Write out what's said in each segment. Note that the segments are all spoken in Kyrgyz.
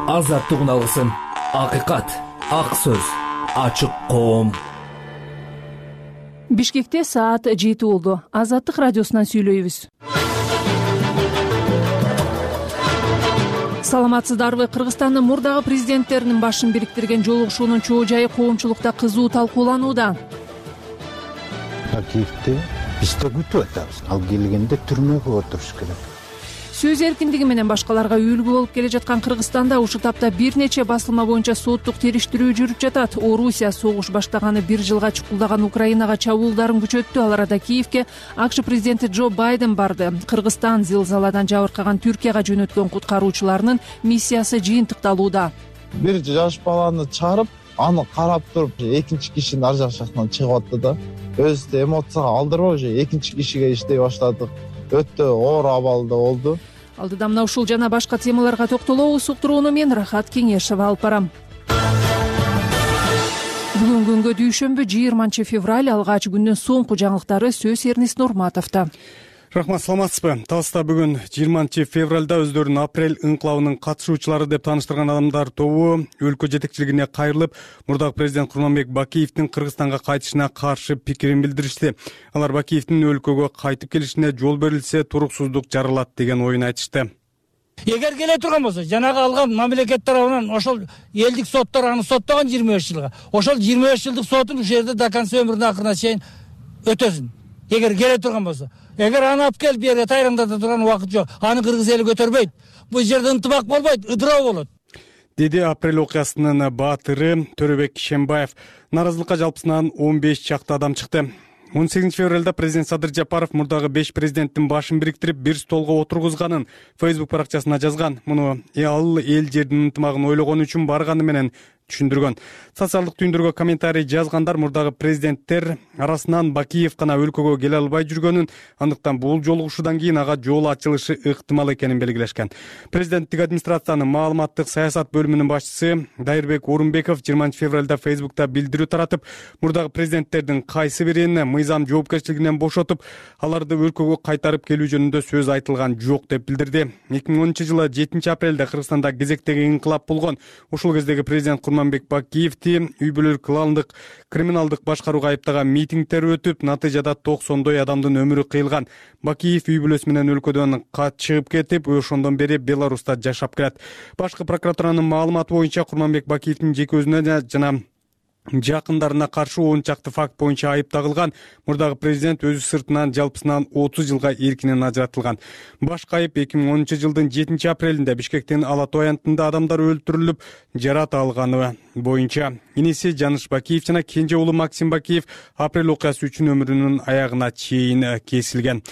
азаттык үналгысын, акыйкат, ак сөз, ачык коом. Бишкекте саат 7 болду. Азаттык радиосунан сүйлөйбүз. Саламатсыздарбы? Кыргызстандын мурдагы президенттеринин башын бириктирген жолугушуунун чоо жайы коомчулукта кызуу талкууланууда. Бакиевди биз да күтүп атабыз. Ал келгенде түрмөгө отуруш керек. Сөз эркиндиги менен башкаларга үлгү болуп келе жаткан Кыргызстанда ушул тапта бир нече басылма боюнча соттук териштирүү жүрүп жатат. Орусия согуш баштаганы 1 жылга чукулдаган Украинага чабуулдарын күчөттү. Ал арада Киевке АКШ президенти Джо Байден барды. Кыргызстан зилзаладан жабыркаган Түркияга жөнөткөн куткаруучуларынын миссиясы жыйынтыкталууда. Бир жаш баланы чыгарып, аны карап туруп, экинчи кишинин ар жак жактан чыгып атты да. Өзүбүздү эмоцияга алдырбай уже экинчи кишиге иштей баштадык. Өтө оор абалда болду. Алдыда мына ушул жана башка темаларга токтолобуз. Уктурууну мен Рахат Кеңешева алып барам. Бүгүн күнгө дүйшөмбү 20 февраль алгач күндүн соңку жаңылыктары сөз Эрнис Нурматовдо. Рахмат, саламатсызбы? Таласта бүгүн 20 февралда өздөрүн апрель ыңкылабынын катышуучулары деп тааныштырган адамдар тобу өлкө жетекчилигине кайрылып, мурдагы президент Курманбек Бакиевдин Кыргызстанга кайтышына каршы пикирин билдиришти. Алар Бакиевдин өлкөгө кайтып келишине жол берилсе, туруксуздук жаралат деген оюн айтышты. Эгер келе турган болсо, жанагы алган мамлекет тарабынан ошол элдик соттор аны соттогон 25 жылга. Ошол 25 жылдык сотун ушул жерде до конца өмүрүнүн акырына чейин өтөсүн. Эгер келе турган болсо. Эгер аны алып келип бу жерге тайраңдата турган убакыт жок. Аны кыргыз эли көтөрбөйт. Бул жерде ынтымак болбойт, ыдыроо болот. Деди апрель окуясынын баатыры Төрөбек Кишембаев. Наразылыкка жалпысынан 15 чакты адам чыкты. 18 февралда президент Садыр Жапаров мурдагы 5 президенттин башын бириктирип бир столго отургузганын Facebook баракчасына жазган. Муну ал эл жердин ынтымагын ойлогон үчүн барганы менен түшүндүргөн. Социалдык түйүндөргө комментарий жазгандар мурдагы президенттер арасынан Бакиев гана өлкөгө келе албай жүргөнүн, андыктан бул жолугушуудан кийин ага жол ачылышы ыктымал экенин белгилешкен. Президенттик администрациянын маалыматтык саясат бөлүмүнүн башчысы Дайырбек Орунбеков 20 февралда Facebook'та билдирүү таратып, мурдагы президенттердин кайсы бирин мыйзам жоопкерчилигинен бошотуп, аларды өлкөгө кайтарып келүү жөнүндө сөз айтылган жок деп билдирди. 2010-жылы 7 апрелде Кыргызстанда кезектеги инкылап болгон. Ушул кездеги президент Курманбек Бакиевди үй бүлөлүк кландык криминалдык башкарууга айыптаган митингдер өтүп, натыйжада 90 адамдын өмүрү кыйылган. Бакиев үй бүлөсү менен өлкөдөн качып кетип, ошондон бери Беларуста жашап келет. Башкы прокуратуранын маалыматы боюнча Курманбек Бакиевдин жеке өзүнө жана жакындарына каршы 10 чакты факт боюнча айып тагылган. Мурдагы президент өзү сыртынан жалпысынан 30 жылга эркинен ажыратылган. Башкы айып 2010-жылдын 7 апрелинде Бишкектин Алатой аянтында адамдар өлтүрүлүп, жарат алганы боюнча. Иниси Жаныш Бакиев жана кенже уулу Максим Бакиев апрель окуясы үчүн өмүрүнүн аягына чейин кесилген.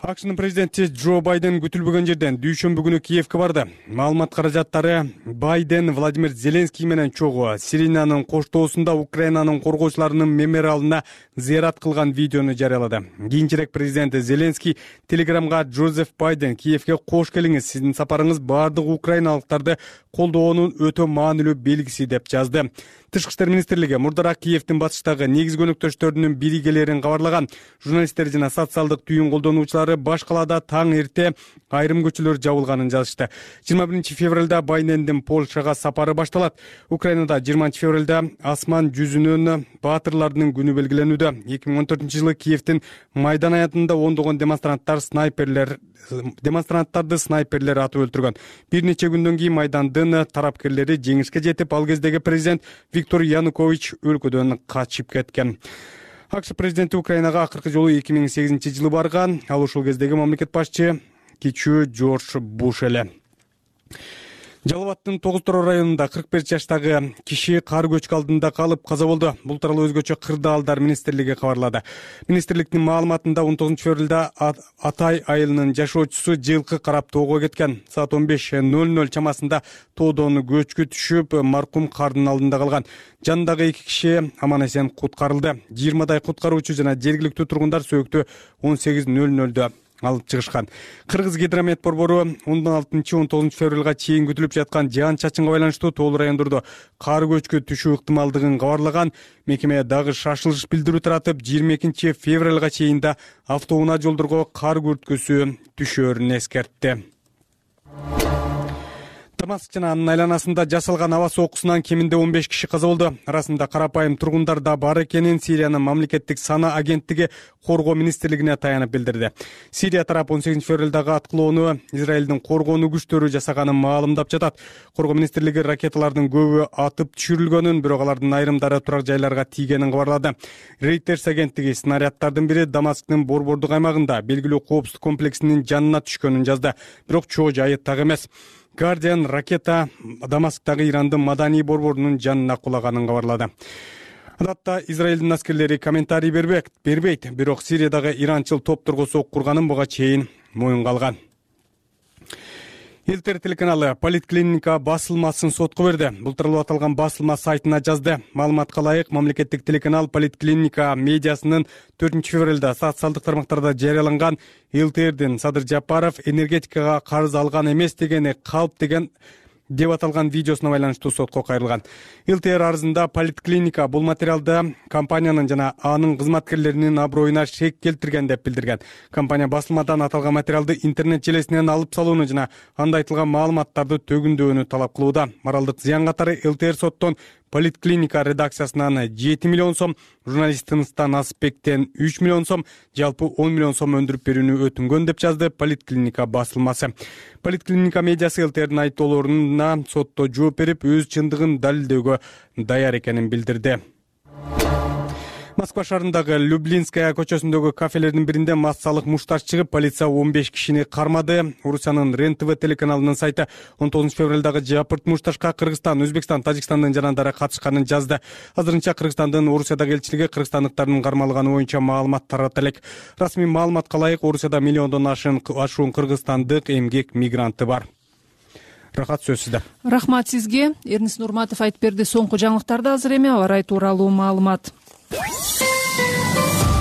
АКШнын президенти Джо Байден күтүлбөгөн жерден дүйшөмбү күнү Киевке барды. Маалымат каражаттары Байден Владимир Зеленский менен чогуу Сиринанын коштоосунда Украинанын коргоочуларынын мемориалына зыярат кылган видеону жарыялады. Кийинчерээк президент Зеленский Телеграмга Джозеф Байден Киевке кош келиңиз, сиздин сапарыңыз бардык украиналыктарды колдоонун өтө маанилүү белгиси деп жазды. Тышкы иштер министрлиги мурдараак Киевдин батыштагы негизги өнөктөштөрүнүн биригелерин кабарлаган. Журналисттер жана социалдык түйүн колдонуучулары баш калаада таң эрте айрым көчөлөр жабылганын жазышты. 21 февралда Байдендин Польшага сапары башталат. Украинада 20 февралда асман жүзүнүн баатырлардын күнү белгиленүүдө. 2014-жылы Киевдин Майдан аянтында ондогон демонстранттарды снайперлер атып өлтүргөн. Бир нече күндөн кийин Майдандын тарапкерлери жеңишке жетип, ал кездеги президент Виктор Янукович өлкөдөн качып кеткен. АКШ президенти Украинага акыркы жолу 2008-жылы барган. Ал ушул кездеги мамлекет башчы кичүү Джордж Буш эле. Жалал Абадтын Тогуз-Тороо районунда 45 жаштагы киши кар көчкү алдында калып каза болду. Бул тууралуу өзгөчө Кырдаалдар министрлиги кабарлады. Министрликтин маалыматында 19 февралда Атай айылынын жашоочусу жылкы карап тоого кеткен. Саат 15:00 чамасында тоодон көчкү түшүп, маркум кардын алдында калган. Жанындагы 2 киши аман эсен куткарылды. 20 куткаруучу жана жергиликтүү тургундар сөөктү 18:00 алып чыгышкан. Кыргыз гидромет борбору 16-19 февралга чейин күтүлүп жаткан жаан чачынга байланыштуу тоолуу райондордо кар көчкү түшүү ыктымалдыгын кабарлаган. Мекеме дагы шашылыш билдирүү таратып, 22 февралга чейин да автоунаа жолдорго кар күрткүсү түшөөрүн эскертти. Дамаск жана анын айланасында жасалган аба сокусунан кеминде 15 киши каза болду. Арасында карапайым тургундар да бар экенин Сириянын мамлекеттик сана агенттиги коргоо министрлигине таянып билдирди. Сирия тарап 18-февралдагы аткылоону Израилдин коргонуу күчтөрү жасаганын маалымдап жатат. Коргоо министрлиги ракеталардын көбү атып түшүрүлгөнүн, бирок алардын айрымдары турак жайларга тийгенин кабарлады. Reuters агенттиги снаряддардын бири Дамасктын борбордук аймагында белгилүү коопсуздук комплексинин жанына түшкөнүн жазды, бирок чоо жайы так эмес. Guardian ракета Дамасктагы Ирандын маданий борборунун жанына кулаганын кабарлады. Адатта Израилдин аскерлери комментарий бербейт, бирок Сириядагы иранчыл топторго сок курганын буга чейин моюнга алган. Илтер телеканалы Политклиника басылмасын сотко берди. Бул тууралуу аталган басылма сайтына жазды. Маалыматка ылайык, мамлекеттик телеканал Политклиника медиасынын 4-февралда социалдык тармактарда жарыяланган Илтердин Садыр Жапаров энергетикага карыз алган эмес дегени калп деп аталган видеосуна байланыштуу сотко кайрылган. Илтер арызында Политклиника бул материалды компаниянын жана анын кызматкерлеринин аброюна шек келтирген деп билдирген. Компания басылмадан аталган материалды интернет желесинен алып салууну жана анда айтылган маалыматтарды төгүндөөнү талап кылууда. Моралдык зыян катары Илтер соттон Политклиника редакциясынан 7 миллион сом, журналист Тыныстан Асыпбектен 3 миллион сом, жалпы 10 миллион сом өндүрүп берүүнү өтүнгөн деп жазды Политклиника басылмасы. Политклиника медиасы Илтердин айыптоолоруна сотто жооп берип, өз чындыгын далилдөөгө даяр экенин билдирди. Москва шаарындагы Люблинская көчөсүндөгү кафелердин биринде массалык мушташ чыгып, полиция 15 кишини кармады. Орусиянын РЕН-ТВ телеканалынын сайты 19-февралдагы жапырт мушташка Кыргызстан, Өзбекстан, Тажикстандын жарандары катышканын жазды. Азырынча Кыргызстандын Орусиядагы элчилиги кыргызстандыктардын кармалганы боюнча маалымат таратат элек. Расмий маалыматка ылайык, Орусияда миллиондон ашуун кыргызстандык эмгек мигранты бар. Рахат, сөз сизде. Рахмат сизге. Эрнис Нурматов айтып берди. Соңку жаңылыктарды азыр эми аба ырайы тууралуу маалымат.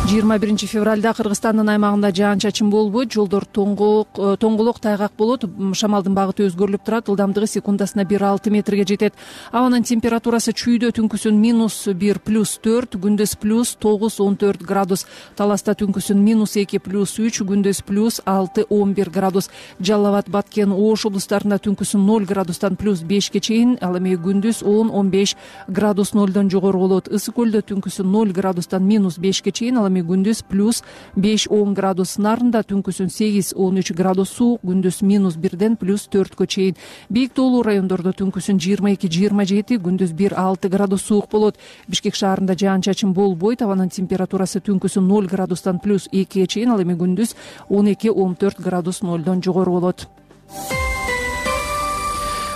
21-февралда Кыргызстандын аймагында жаан-чачын болбойт, жолдор тоңголок тайгак болот, шамалдын багыты өзгөрүлүп турат, ылдамдыгы секундасына 1,6 метрге жетет. Абанын температурасы чүйдө түнкүсүн -1 + 4, күндөз +9-14 градус, Таласта түнкүсүн -2 + 3, күндөз +6-11 градус, Жалал Абад, Баткен, Ош облустарында түнкүсүн 0 градустан +5ке чейин, ал эми күндөз 10-15 градус 0дон жогору болот. Ысык көлдө түнкүсүн 0 градустан -5ке чейин, ал эми күндүз +5-10 градус, Нарында түнкүсүн 8-13 градус суук, күндүз -1ден +4кө чейин. Бийик тоолуу райондордо түнкүсүн 22-27, күндүз 1-6 градус суук болот. Бишкек шаарында жаан-чачын болбойт, абанын температурасы түнкүсүн 0 градустан +2ге чейин, ал эми күндүз 12-14 градус 0дон жогору болот.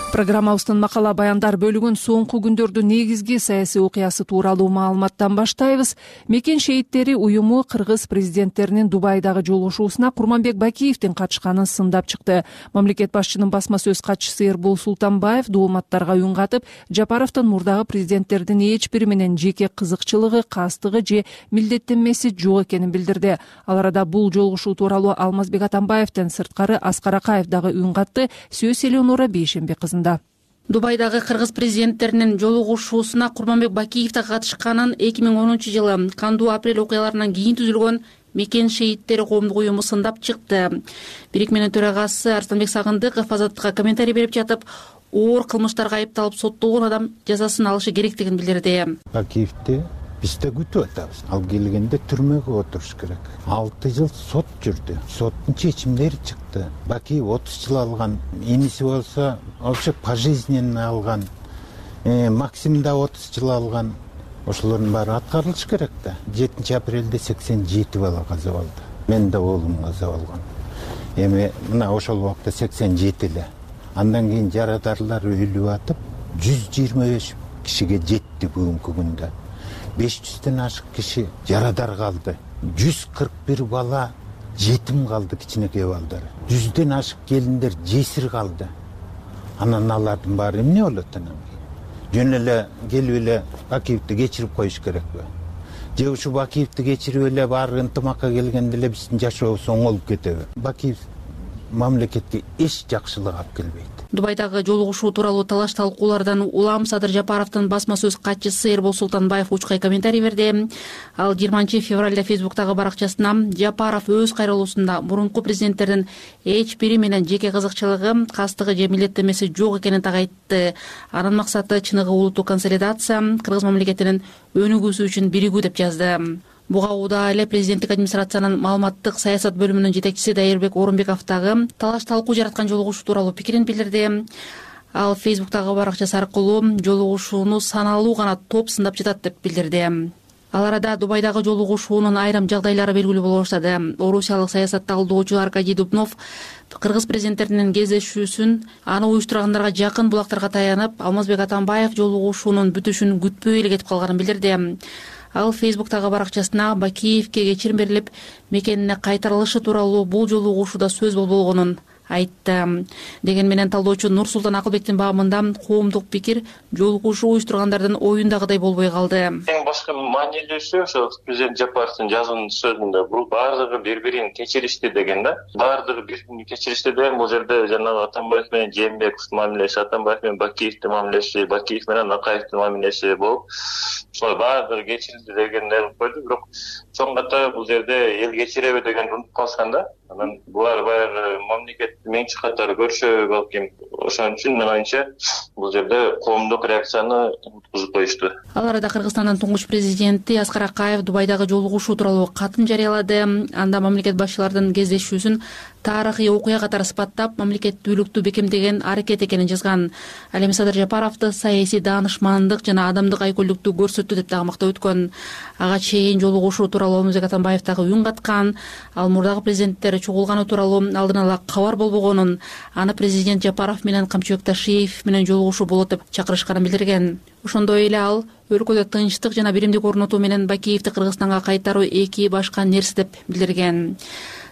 Программабыздын макала баяндар бөлүгүн соңку күндөрдүн негизги саясий окуясы тууралуу маалыматтан баштайбыз. Мекен шейиттери уюму кыргыз президенттеринин Дубайдагы жолугушуусуна Курманбек Бакиевдин катышканын сындап чыкты. Мамлекет башчынын басма сөз катчысы Эрбол Султанбаев дооматтарга үн катып, Жапаровдун мурдагы президенттердин эч бири менен жеке кызыкчылыгы, кастыгы же милдеттенмеси жок экенин билдирди. Ал арада бул жолугушуу тууралуу Алмазбек Атамбаевден сырткары Аскар Акаев дагы үн катты. Сөз Элеонора Бейшембек кызында. Дубайдагы кыргыз президенттеринин жолугушуусуна Курманбек Бакиев да катышканын 2010-жылы Канду-Апрель окуяларынан кийин түзүлгөн Мекен шейиттери коомдук уюму сындап чыкты. Бирикменин төрагасы Арстанбек Сагындыков Азаттыкка комментарий берип жатып, оор кылмыштарга айыпталып соттолгон адам жазасын алышы керектигин билдирди. Бакиевди биз да күтүп атабыз. Ал келгенде түрмөгө отуруш керек. 6 жыл сот жүрдү. Соттун чечимдери чыкты. Бакиев 30 жыл алган. Иниси болсо вообще пожизненно алган. Максим да 30 жыл алган. Ошолордун баары аткарылыш керек да. 7 апрелде 87 бала каза болду. Мен да оолум каза болгон. Эми мына ошол убакта 87 эле. Андан кийин жарадарлар өлүп атып, 125 кишиге жетти бүгүнкү күндө. 500ден ашык киши жарадар калды. 141 бала жетим калды, кичинекей балдар. 100ден ашык келиндер жесир калды. Анан алардын баары эмне болот анан? Жөн эле келип эле Бакиевди кечирип коюш керекпи? Же ушу Бакиевди кечирип эле баары ынтымакка келгенде эле биздин жашообуз оңолуп кетеби? Бакиев мамлекетке эч жакшылык алып келбейт. Дубайдагы жолугушуу тууралуу талаш талкуулардан улам Садыр Жапаровдун басма сөз катчысы Эрбол Султанбаев учкай комментарий берди. Ал 20 февралда Фейсбуктагы баракчасына Жапаров өз кайрылуусунда мурунку президенттердин эч бири менен жеке кызыкчылыгы, кастыгы же милдеттенмеси жок экенин так айтты. Анын максаты чыныгы улуттук консолидация, кыргыз мамлекетинин өнүгүүсү үчүн биригүү деп жазды. Буга убада эле президенттик администрациянын маалыматтык саясат бөлүмүнүн жетекчиси Дайырбек Орунбековдагы талаш талкуу жараткан жолугушуу тууралуу пикирин билдирди. Ал Фейсбуктагы баракчасы аркылуу жолугушууну саналуу гана топ сындап жатат деп билдирди. Ал арада Дубайдагы жолугушуунун айрым жагдайлары белгилүү боло баштады. Орусиялык саясат талдоочу Аркадий Дубнов кыргыз президенттеринин кездешүүсүн аны уюштургандарга жакын булактарга таянып, Алмазбек Атамбаев жолугушуунун бүтүшүн күтпөй эле кетип калганын билдирди. Ал Фейсбуктагы баракчасына Бакиевке кечирим берилип, мекенине кайтарылышы тууралуу бул жолугушууда сөз болбогонун айтты. Деген менен талдоочу Нурсултан Акылбектин баамында коомдук пикир жолугушуу уюштургандардын оюндагыдай болбой калды. Эң башкы маанилүүсү ошо президент Жапаровдун жазуунун сөзүндө бул баардыгы бири-бирин кечиришти деген да. Баардыгы бири-бирин кечиришти деген бул жерде жанагы Атамбаев менен Жээнбековдун мамилеси, Атамбаев менен Бакиевдин мамилеси, Бакиев менен Акаевдин мамилеси болуп, ошол баардыгы кечирилди дегенди койду. Бирок чоң ката бул жерде эл кечиреби деген унутуп калышкан да. Анан булар баягы мамлекетти меңчи катары көрүшө балким. Ошон үчүн мен оюмча бул жерде коомдук реакцияны уткузуп коюшту. Ал арада Кыргызстандын туңгуч президенти Аскар Акаев Дубайдагы жолугушуу тууралуу катын жарыялады. Анда мамлекет башчылардын кездешүүсүн тарыхый окуя катары сыпаттап, мамлекеттүүлүктү бекемдеген аракет экенин жазган. Ал эми Садыр Жапаровду саясий даанышмандык жана адамдык айкөлдүктү көрсөттү деп дагы мактап өткөн. Ага чейин жолугушуу тууралуу Алмазбек Атамбаев дагы үн каткан. Ал мурдагы президенттер чогулганы тууралуу алдын ала кабар болбогонун, аны президент Жапаров менен Камчыбек Ташиев менен жолугушуу болот деп чакырышканын билдирген. Ошондой эле ал өлкөдө тынчтык жана биримдик орнотуу менен Бакиевди Кыргызстанга кайтаруу эки башка нерсе деп билдирген.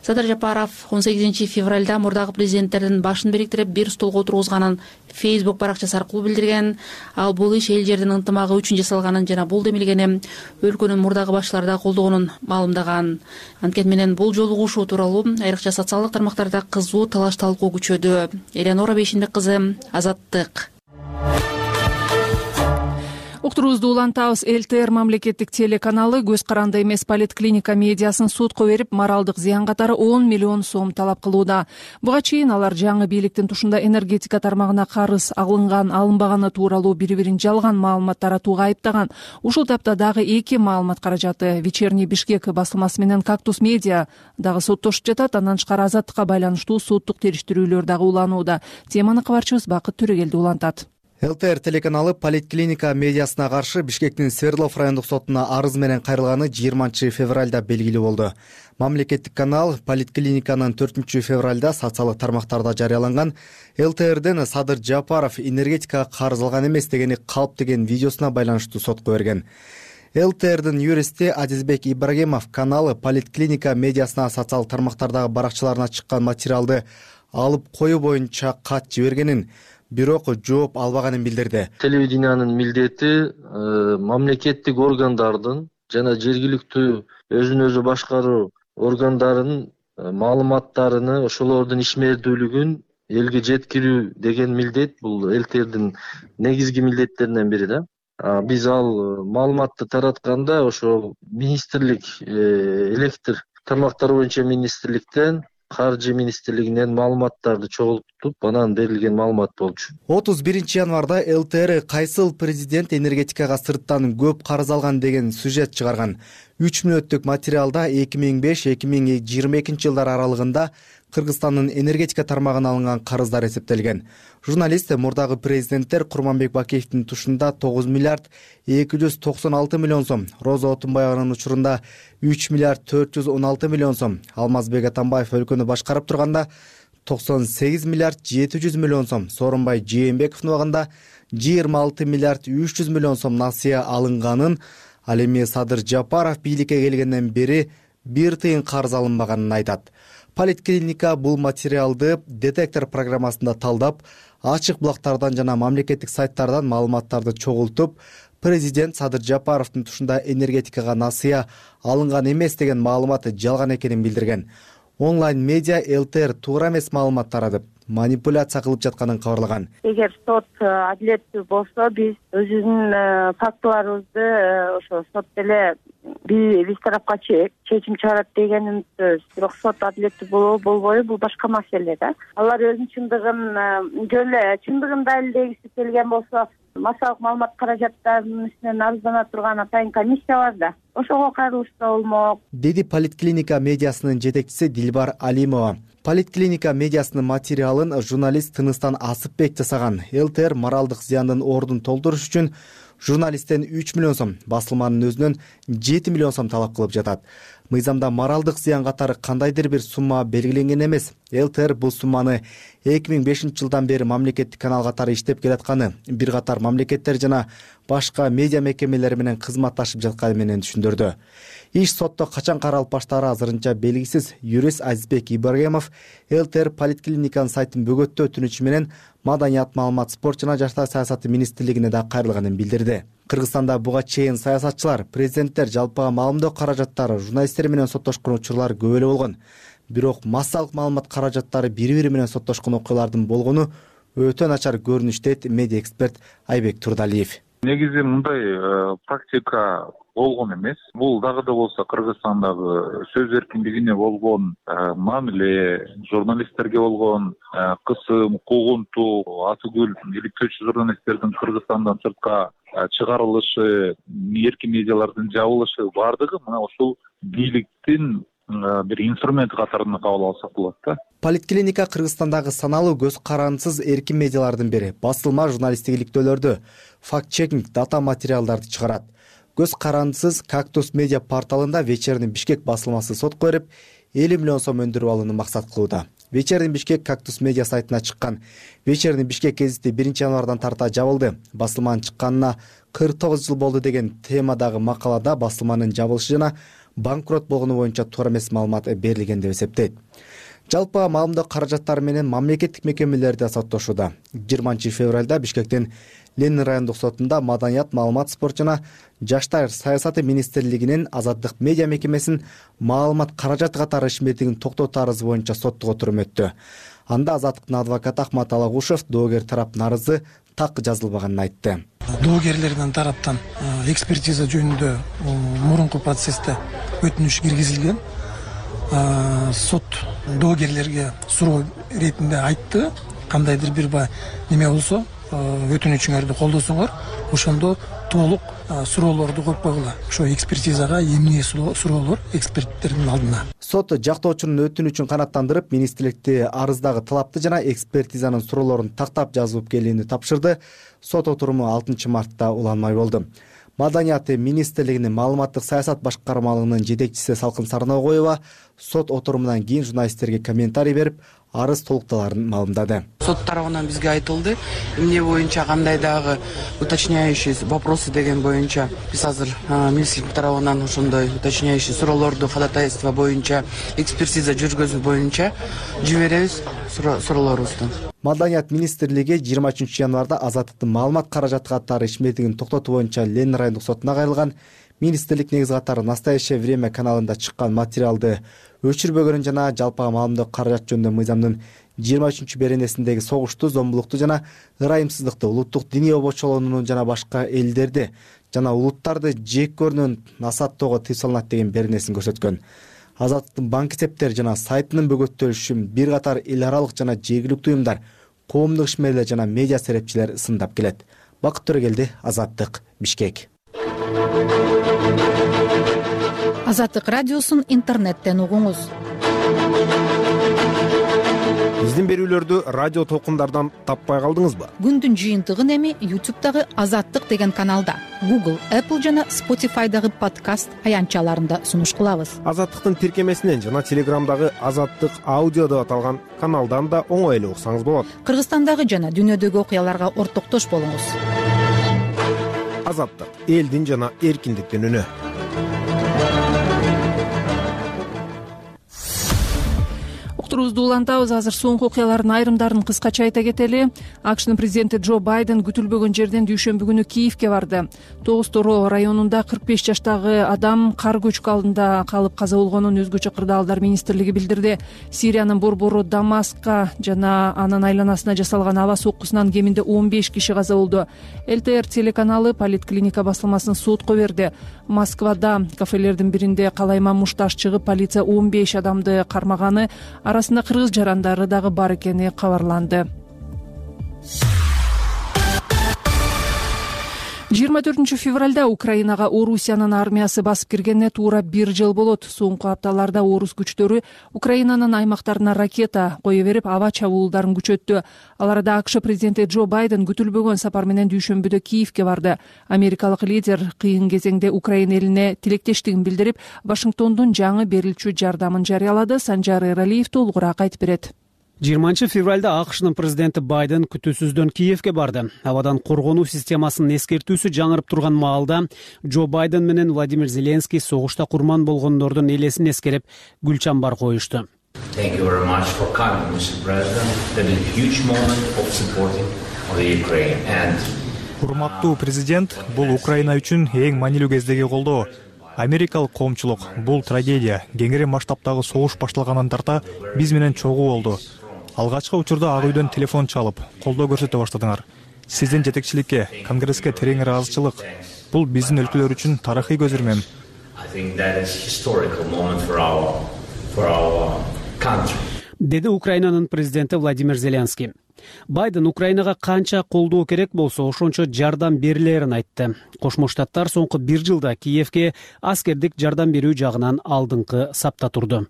Садыр Жапаров 18 февралда мурдагы президенттердин башын бириктирип бир столго отургузганын Фейсбук баракчасы аркылуу билдирген. Ал бул иш эл жердин ынтымагы үчүн жасалганын жана бул демилгени өлкөнүн мурдагы башчылары да колдогонун маалымдаган. Анткени менен бул жолугушуу тууралуу айрыкча социалдык тармактарда кызуу талаш талкуу күчөдү. Элеонора Бейшенбек кызы, Азаттык. Уктуруубузду улантабыз. ЛТР мамлекеттик телеканалы көз каранды эмес поликлиника медиасын сотко берип, моралдык зыян катары 10 миллион сом талап кылууда. Буга чейин алар жаңы бийликтин тушунда энергетика тармагына карыз алынган, алынбаганы тууралуу бири-бирин жалган маалымат таратууга айыптаган. Ушул тапта дагы эки маалымат каражаты Вечерний Бишкек басылмасы менен Кактус медиа дагы соттошуп жатат. Андан тышкары азаттыкка байланыштуу соттук териштирүүлөр дагы уланууда. Теманы кабарчыбыз Бакыт Төрөгелди улантат. ЛТР телеканалы поликлиника медиасына каршы Бишкектин Свердлов райондук сотуна арыз менен кайрылганы 20 февралда белгилүү болду. Мамлекеттик канал поликлиниканын 4 февралда социалдык тармактарда жарыяланган ЛТРден Садыр Жапаров энергетикага карыз алган эмес дегени калп деген видеосуна байланыштуу сотко берген. ЛТРдин юристи Адизбек Ибрагимов каналы поликлиника медиасына социалдык тармактардагы баракчаларына чыккан материалды алып коюу боюнча кат жибергенин, бирок жооп албаганын билдирди. Телевидениянын милдети мамлекеттик органдардын жана жергиликтүү өзүн өзү башкаруу органдарынын маалыматтарыны, ошолордун ишмердүүлүгүн элге жеткирүү деген милдет. Бул ЛТРдин негизги милдеттеринен бири да. Биз ал маалыматты таратканда ошол министрлик, электр тармактары боюнча министрликтен, Каржы министрлигинен маалыматтарды чогултуп, анан берилген маалымат болчу. 31 январда ЛТР кайсыл президент энергетикага сырттан көп карыз алган деген сюжет чыгарган. 3 мүнөттүк материалда 2005-2022 жылдар аралыгында Кыргызстандын энергетика тармагына алынган карыздар эсептелген. Журналист мурдагы президенттер Курманбек Бакиевдин тушунда 9 миллиард 296 миллион сом, Роза Отунбаеванын учурунда 3 миллиард 416 миллион сом, Алмазбек Атамбаев өлкөнү башкарып турганда 98 миллиард 700 миллион сом, Сооронбай Жээнбековдун убагында 26 миллиард 300 миллион сом насыя алынганын, ал эми Садыр Жапаров бийликке келгенден бери бир тыйын карыз алынбаганын айтат. Поликлиника бул материалды детектор программасында талдап, ачык булактардан жана мамлекеттик сайттардан маалыматтарды чогултуп, президент Садыр Жапаровдун тушунда энергетикага насыя алынган эмес деген маалыматы жалган экенин билдирген. Онлайн медиа ЛТР туура эмес маалымат таратып, манипуляция кылып жатканын кабарлаган. Эгер сот адилеттүү болсо, биз өзүбүздүн фактыларыбызды ошо сот деле биз тарапка чечим чыгарат деген үмүттөбүз. Бирок сот адилеттүү болобу болбойбу бул башка маселе да. Алар өзүнүн чындыгын далилдегиси келген болсо, массалык маалымат каражаттарынын үстүнөн арыздана турган атайын комиссия бар да. Ошого кайрылышса болмок, деди Политклиника медиасынын жетекчиси Дилбар Алимова. Политклиника медиасынын материалын журналист Тыныстан Асыпбек жасаган. ЛТР моралдык зыяндын ордун толтуруш үчүн журналисттен 3 миллион сом, басылманын өзүнөн 7 миллион сом талап кылып жатат. Мыйзамда моралдык зыян катары кандайдыр бир сумма белгиленген эмес. ЛТР бул сумманы 2005-жылдан бери мамлекеттик канал катары иштеп келатканы, бир катар мамлекеттер жана башка медиа мекемелери менен кызматташып жатканы менен түшүндүрдү. Иш сотто качан каралып баштаары азырынча белгисиз. Юрист Азизбек Ибрагимов ЛТР Политклиниканын сайтын бөгөттөө өтүнүчү менен Маданият, маалымат, спорт жана жаштар саясаты министрлигине да кайрылганын билдирди. Кыргызстанда буга чейин саясатчылар, президенттер жалпыга маалымдоо каражаттары, журналисттер менен соттошкон учурлар көп эле болгон. Бирок массалык маалымат каражаттары бири-бири менен соттошкон окуялардын болгону өтө начар көрүнүш, дейт медиа эксперт Айбек Турдалиев. Негизи мындай практика болгон эмес. Бул дагы да болсо Кыргызстандагы сөз эркиндигине болгон мамиле, журналисттерге болгон кысым, куугунтуу, атүгүл иликтөөчү журналисттердин Кыргызстандан сыртка чыгарылышы, эркин медиалардын жабылышы бардыгы мына ушул бийликтин бир инструменти катарында кабыл алсак болот да. Политклиника Кыргызстандагы саналуу көз карандысыз эркин медиалардын бири. Басылма журналисттик иликтөөлөрдү, факт-чекинг, дата материалдарды чыгарат. Көз карандысыз Кактус медиа порталында Вечерний Бишкек басылмасы сотко берип 50 миллион сом өндүрүп алууну максат кылууда. Вечерний Бишкек Кактус медиа сайтына чыккан Вечерний Бишкек гезити 1-январдан тарта жабылды. Басылманын чыкканына 49 жыл болду деген темадагы макалада басылманын жабылышы жана банкрот болгону боюнча туура эмес маалымат берилген деп эсептейт. Жалпы маалымдоо каражаттары менен мамлекеттик мекемелер да соттошууда. 20-февралда Бишкектин Ленин райондук сотунда Маданият, маалымат, спорт жана жаштар саясаты министрлигинин Азаттык медиа мекемесин маалымат каражаты катары ишмердигин токтотуу арызы боюнча соттук отурум өттү. Анда Азаттыктын адвокаты Ахмат Алагушев доогер тарап нарызы так жазылбаганын айтты. Доогерлердин тараптан экспертиза жөнүндө мурунку процессте өтүнүш киргизилген. Сот доогерлерге суроо иретинде айтты, кандайдыр бир неме болсо өтүнүчүңөрдү колдосоңор, ошондо толук суроолорду коюп койгула. Ошо экспертизага эмне суроолор эксперттердин алдына. Сот жактоочунун өтүнүчүн канааттандырып, министрликти арыздагы талапты жана экспертизанын суроолорун тактап жазып келүүнү тапшырды. Сот отуруму 6 мартта уланмай болду. Маданият министрлигинин маалыматтык саясат башкармалыгынын жетекчиси Салкын Сарногоева сот отурумунан кийин журналисттерге комментарий берип, арыз толукталарын маалымдады. Сот тарабынан бизге айтылды, эмне боюнча кандай дагы уточняющий вопросы деген боюнча биз азыр министрлик тарабынан ошондой уточняющий суроолорду ходатайство боюнча экспертиза жүргөзүү боюнча жиберебиз суроолорубузду. Маданият министрлиги 23 январда Азаттыктын маалымат каражаты катары ишмердигин токтотуу боюнча Ленин райондук сотуна кайрылган. Министрлик негизи катары Настоящее время каналында чыккан материалды өчүрбөгөнүн жана жалпы маалымдоо каражат жөнүндө мыйзамдын 23 беренесиндеги согушту, зомбулукту жана ырайымсыздыкты, улуттук диний обочолоону жана башка элдерди жана улуттарды жек көрүүнүн насааттоого тыюу салынат деген беренесин көрсөткөн. Азаттыктын банк эсептери жана сайтынын бөгөттөлүшүн бир катар эл аралык жана жергиликтүү уюмдар, коомдук ишмерлер жана медиа серепчилер сындап келет. Бакыт Төрөгелди, Азаттык, Бишкек. Азаттык радиосун интернеттен угуңуз. Биздин берүүлөрдү радио толкундардан таппай калдыңызбы? Күндүн жыйынтыгын эми YouTube'дагы Азаттык деген каналда, Google, Apple жана Spotify'дагы подкаст аянтчаларында сунуш кылабыз. Азаттыктын тиркемесинен жана Телеграмдагы Азаттык аудио деп аталган каналдан да оңой эле уксаңыз болот. Кыргызстандагы жана дүйнөдөгү окуяларга ортоктош болуңуз. Азаттык, элдин жана эркиндиктин үнү. эфирибизди улантабыз. Азыр соңку окуялардын айрымдарын кыскача айта кетели. АКШнын президенти Джо Байден күтүлбөгөн жерден дүйшөмбү күнү Киевке барды. Тогуз Торо районунда 45 жаштагы адам кар көчкү алдында калып каза болгонун өзгөчө кырдаалдар министрлиги билдирди. Сириянын борбору Дамаскка жана анын айланасына жасалган аба соккусунан кеминде 15 киши каза болду. ЛТР телеканалы Политклиника басылмасын сотко берди. Москвада кафелердин биринде калайма мушташ чыгып, полиция 15 адамды кармаганы, арасында кыргыз жарандары дагы бар экени кабарланды. 24 февралда Украинага Орусиянын армиясы басып киргенине туура 1 жыл болот. Соңку апталарда орус күчтөрү Украинанын аймактарына ракета кое берип, аба чабуулдарын күчөттү. Ал арада АКШ президенти Джо Байден күтүлбөгөн сапар менен дүйшөмбүдө Киевке барды. Америкалык лидер кыйын кезеңде Украина элине тилектештигин билдирип, Вашингтондун жаңы берилчү жардамын жарыялады. Санжар Эралиев толугураак айтып берет. 20 февралда АКШнын президенти Байден күтүүсүздөн Киевке барды. Абадан коргонуу системасынын эскертүүсү жаңырып турган маалда Джо Байден менен Владимир Зеленский согушта курман болгондордун элесин эскерип, гүл чамбар коюшту. Урматтуу президент, бул Украина үчүн эң маанилүү кездеги колдоо. Америкалык коомчулук, бул трагедия, кеңири масштабтагы согуш башталгандан тарта биз менен чогуу болду. Алгачкы учурда Ак үйдөн телефон чалып, колдоо көрсөтө баштадыңар. Сиздин жетекчиликке, Конгресске терең ыраазычылык. Бул биздин өлкөлөр үчүн тарыхый көзүрмөм. Деди Украинанын президенти Владимир Зеленский. Байден Украинага канча колдоо керек болсо, ошончо жардам берилерин айтты. Кошмо Штаттар соңку 1 жылда Киевке аскердик жардам берүү жагынан алдыңкы сапта турду.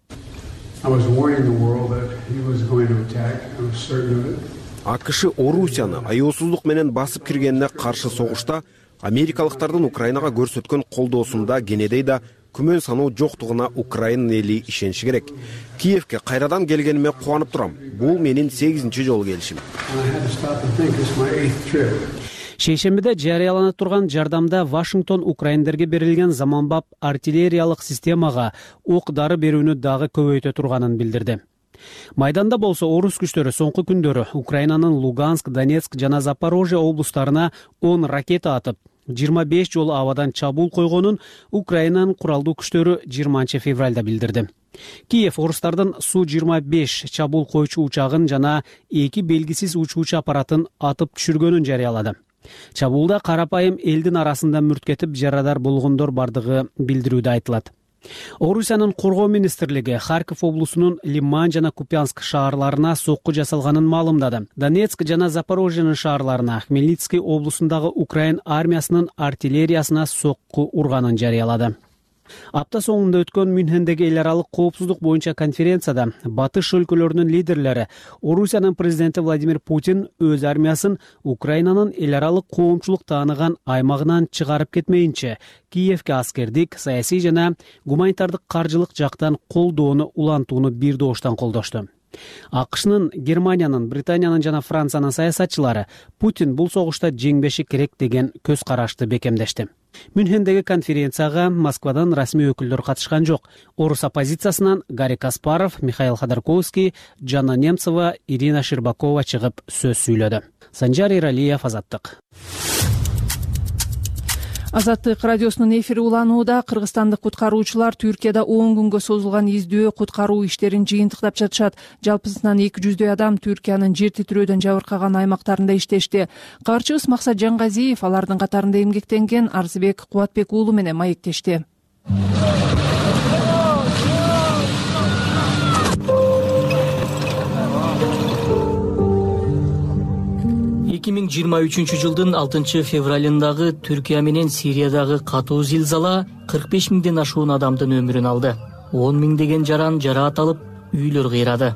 АКШ Орусияны аяосуздук менен басып киргенине каршы согушта америкалыктардын Украинага көрсөткөн колдоосунда кенедей да күмөн саноо жоктугуна Украина эли ишениши керек. Киевке кайрадан келгениме кубанып турам. Бул менин 8-чи жолу келишим. Шейшембиде жарыяланып турган жардамда Вашингтон украиндерге берилген заманбап артиллериялык системага ок-дары берүүнү дагы көбөйтө турганын билдирди. Майданда болсо орус күчтөрү соңку күндөрү Украинанын Луганск, Донецк жана Запорожье облустарына 10 ракета атып, 25 жолу абадан чабуул койгонун Украинанын куралдуу күчтөрү 20 февралда билдирди. Киев орустардын Су-25 чабуул койчу учагын жана 2 белгисиз учуучу аппаратын атып түшүргөнүн жарыялады. Чабуулда карапайым элдин арасында мүрткетип жарадар болгондор бардыгы билдирүүдө айтылат. Орусиянын коргоо министрлиги Харьков облусунун Лиман жана Купянск шаарларына сокку жасалганын маалымдады. Донецк жана Запорожьенын шаарларына Хмельницкий облусундагы Украин армиясынын артиллериясына сокку урганын жарыялады. Апта соңунда өткөн Мюнхендеги эл аралык коопсуздук боюнча конференцияда батыш өлкөлөрүнүн лидерлери Орусиянын президенти Владимир Путин өз армиясын Украинанын эл аралык коомчулук тааныган аймагынан чыгарып кетмейинче Киевке аскердик, саясий жана гуманитардык каржылык жактан колдоону улантууну бир дооштон колдошту. АКШнын, Германиянын, Британиянын жана Франциянын саясатчылары Путин бул согушта жеңбеши керек деген көз карашты бекемдешти. Мюнхендеги конференцияга Москвадан расмий өкүлдөр катышкан жок. Орус оппозициясынан Гарри Каспаров, Михаил Ходорковский, Жанна Немцова, Ирина Щербакова чыгып сөз сүйлөдү. Санжар Эралиев, Азаттык. Азаттык радиосунун эфири уланууда. Кыргызстандык куткаруучулар Түркияда 10 күнгө созулган издөө куткаруу иштерин жыйынтыктап жатышат. Жалпысынан 200 адам Түркиянын жер титирөөдөн жабыркаган аймактарында иштешти. Каарчыбыз Максат Жангазиев алардын катарында эмгектенген Арзыбек Кубатбек уулу менен маектешти. 2023 жылдын 6 февралындагы Түркия менен Сириядагы катуу зилзала 45 миңден ашуун адамдын өмүрүн алды. 10 миңдеген жаран жараат алып, үйлөр кыйрады.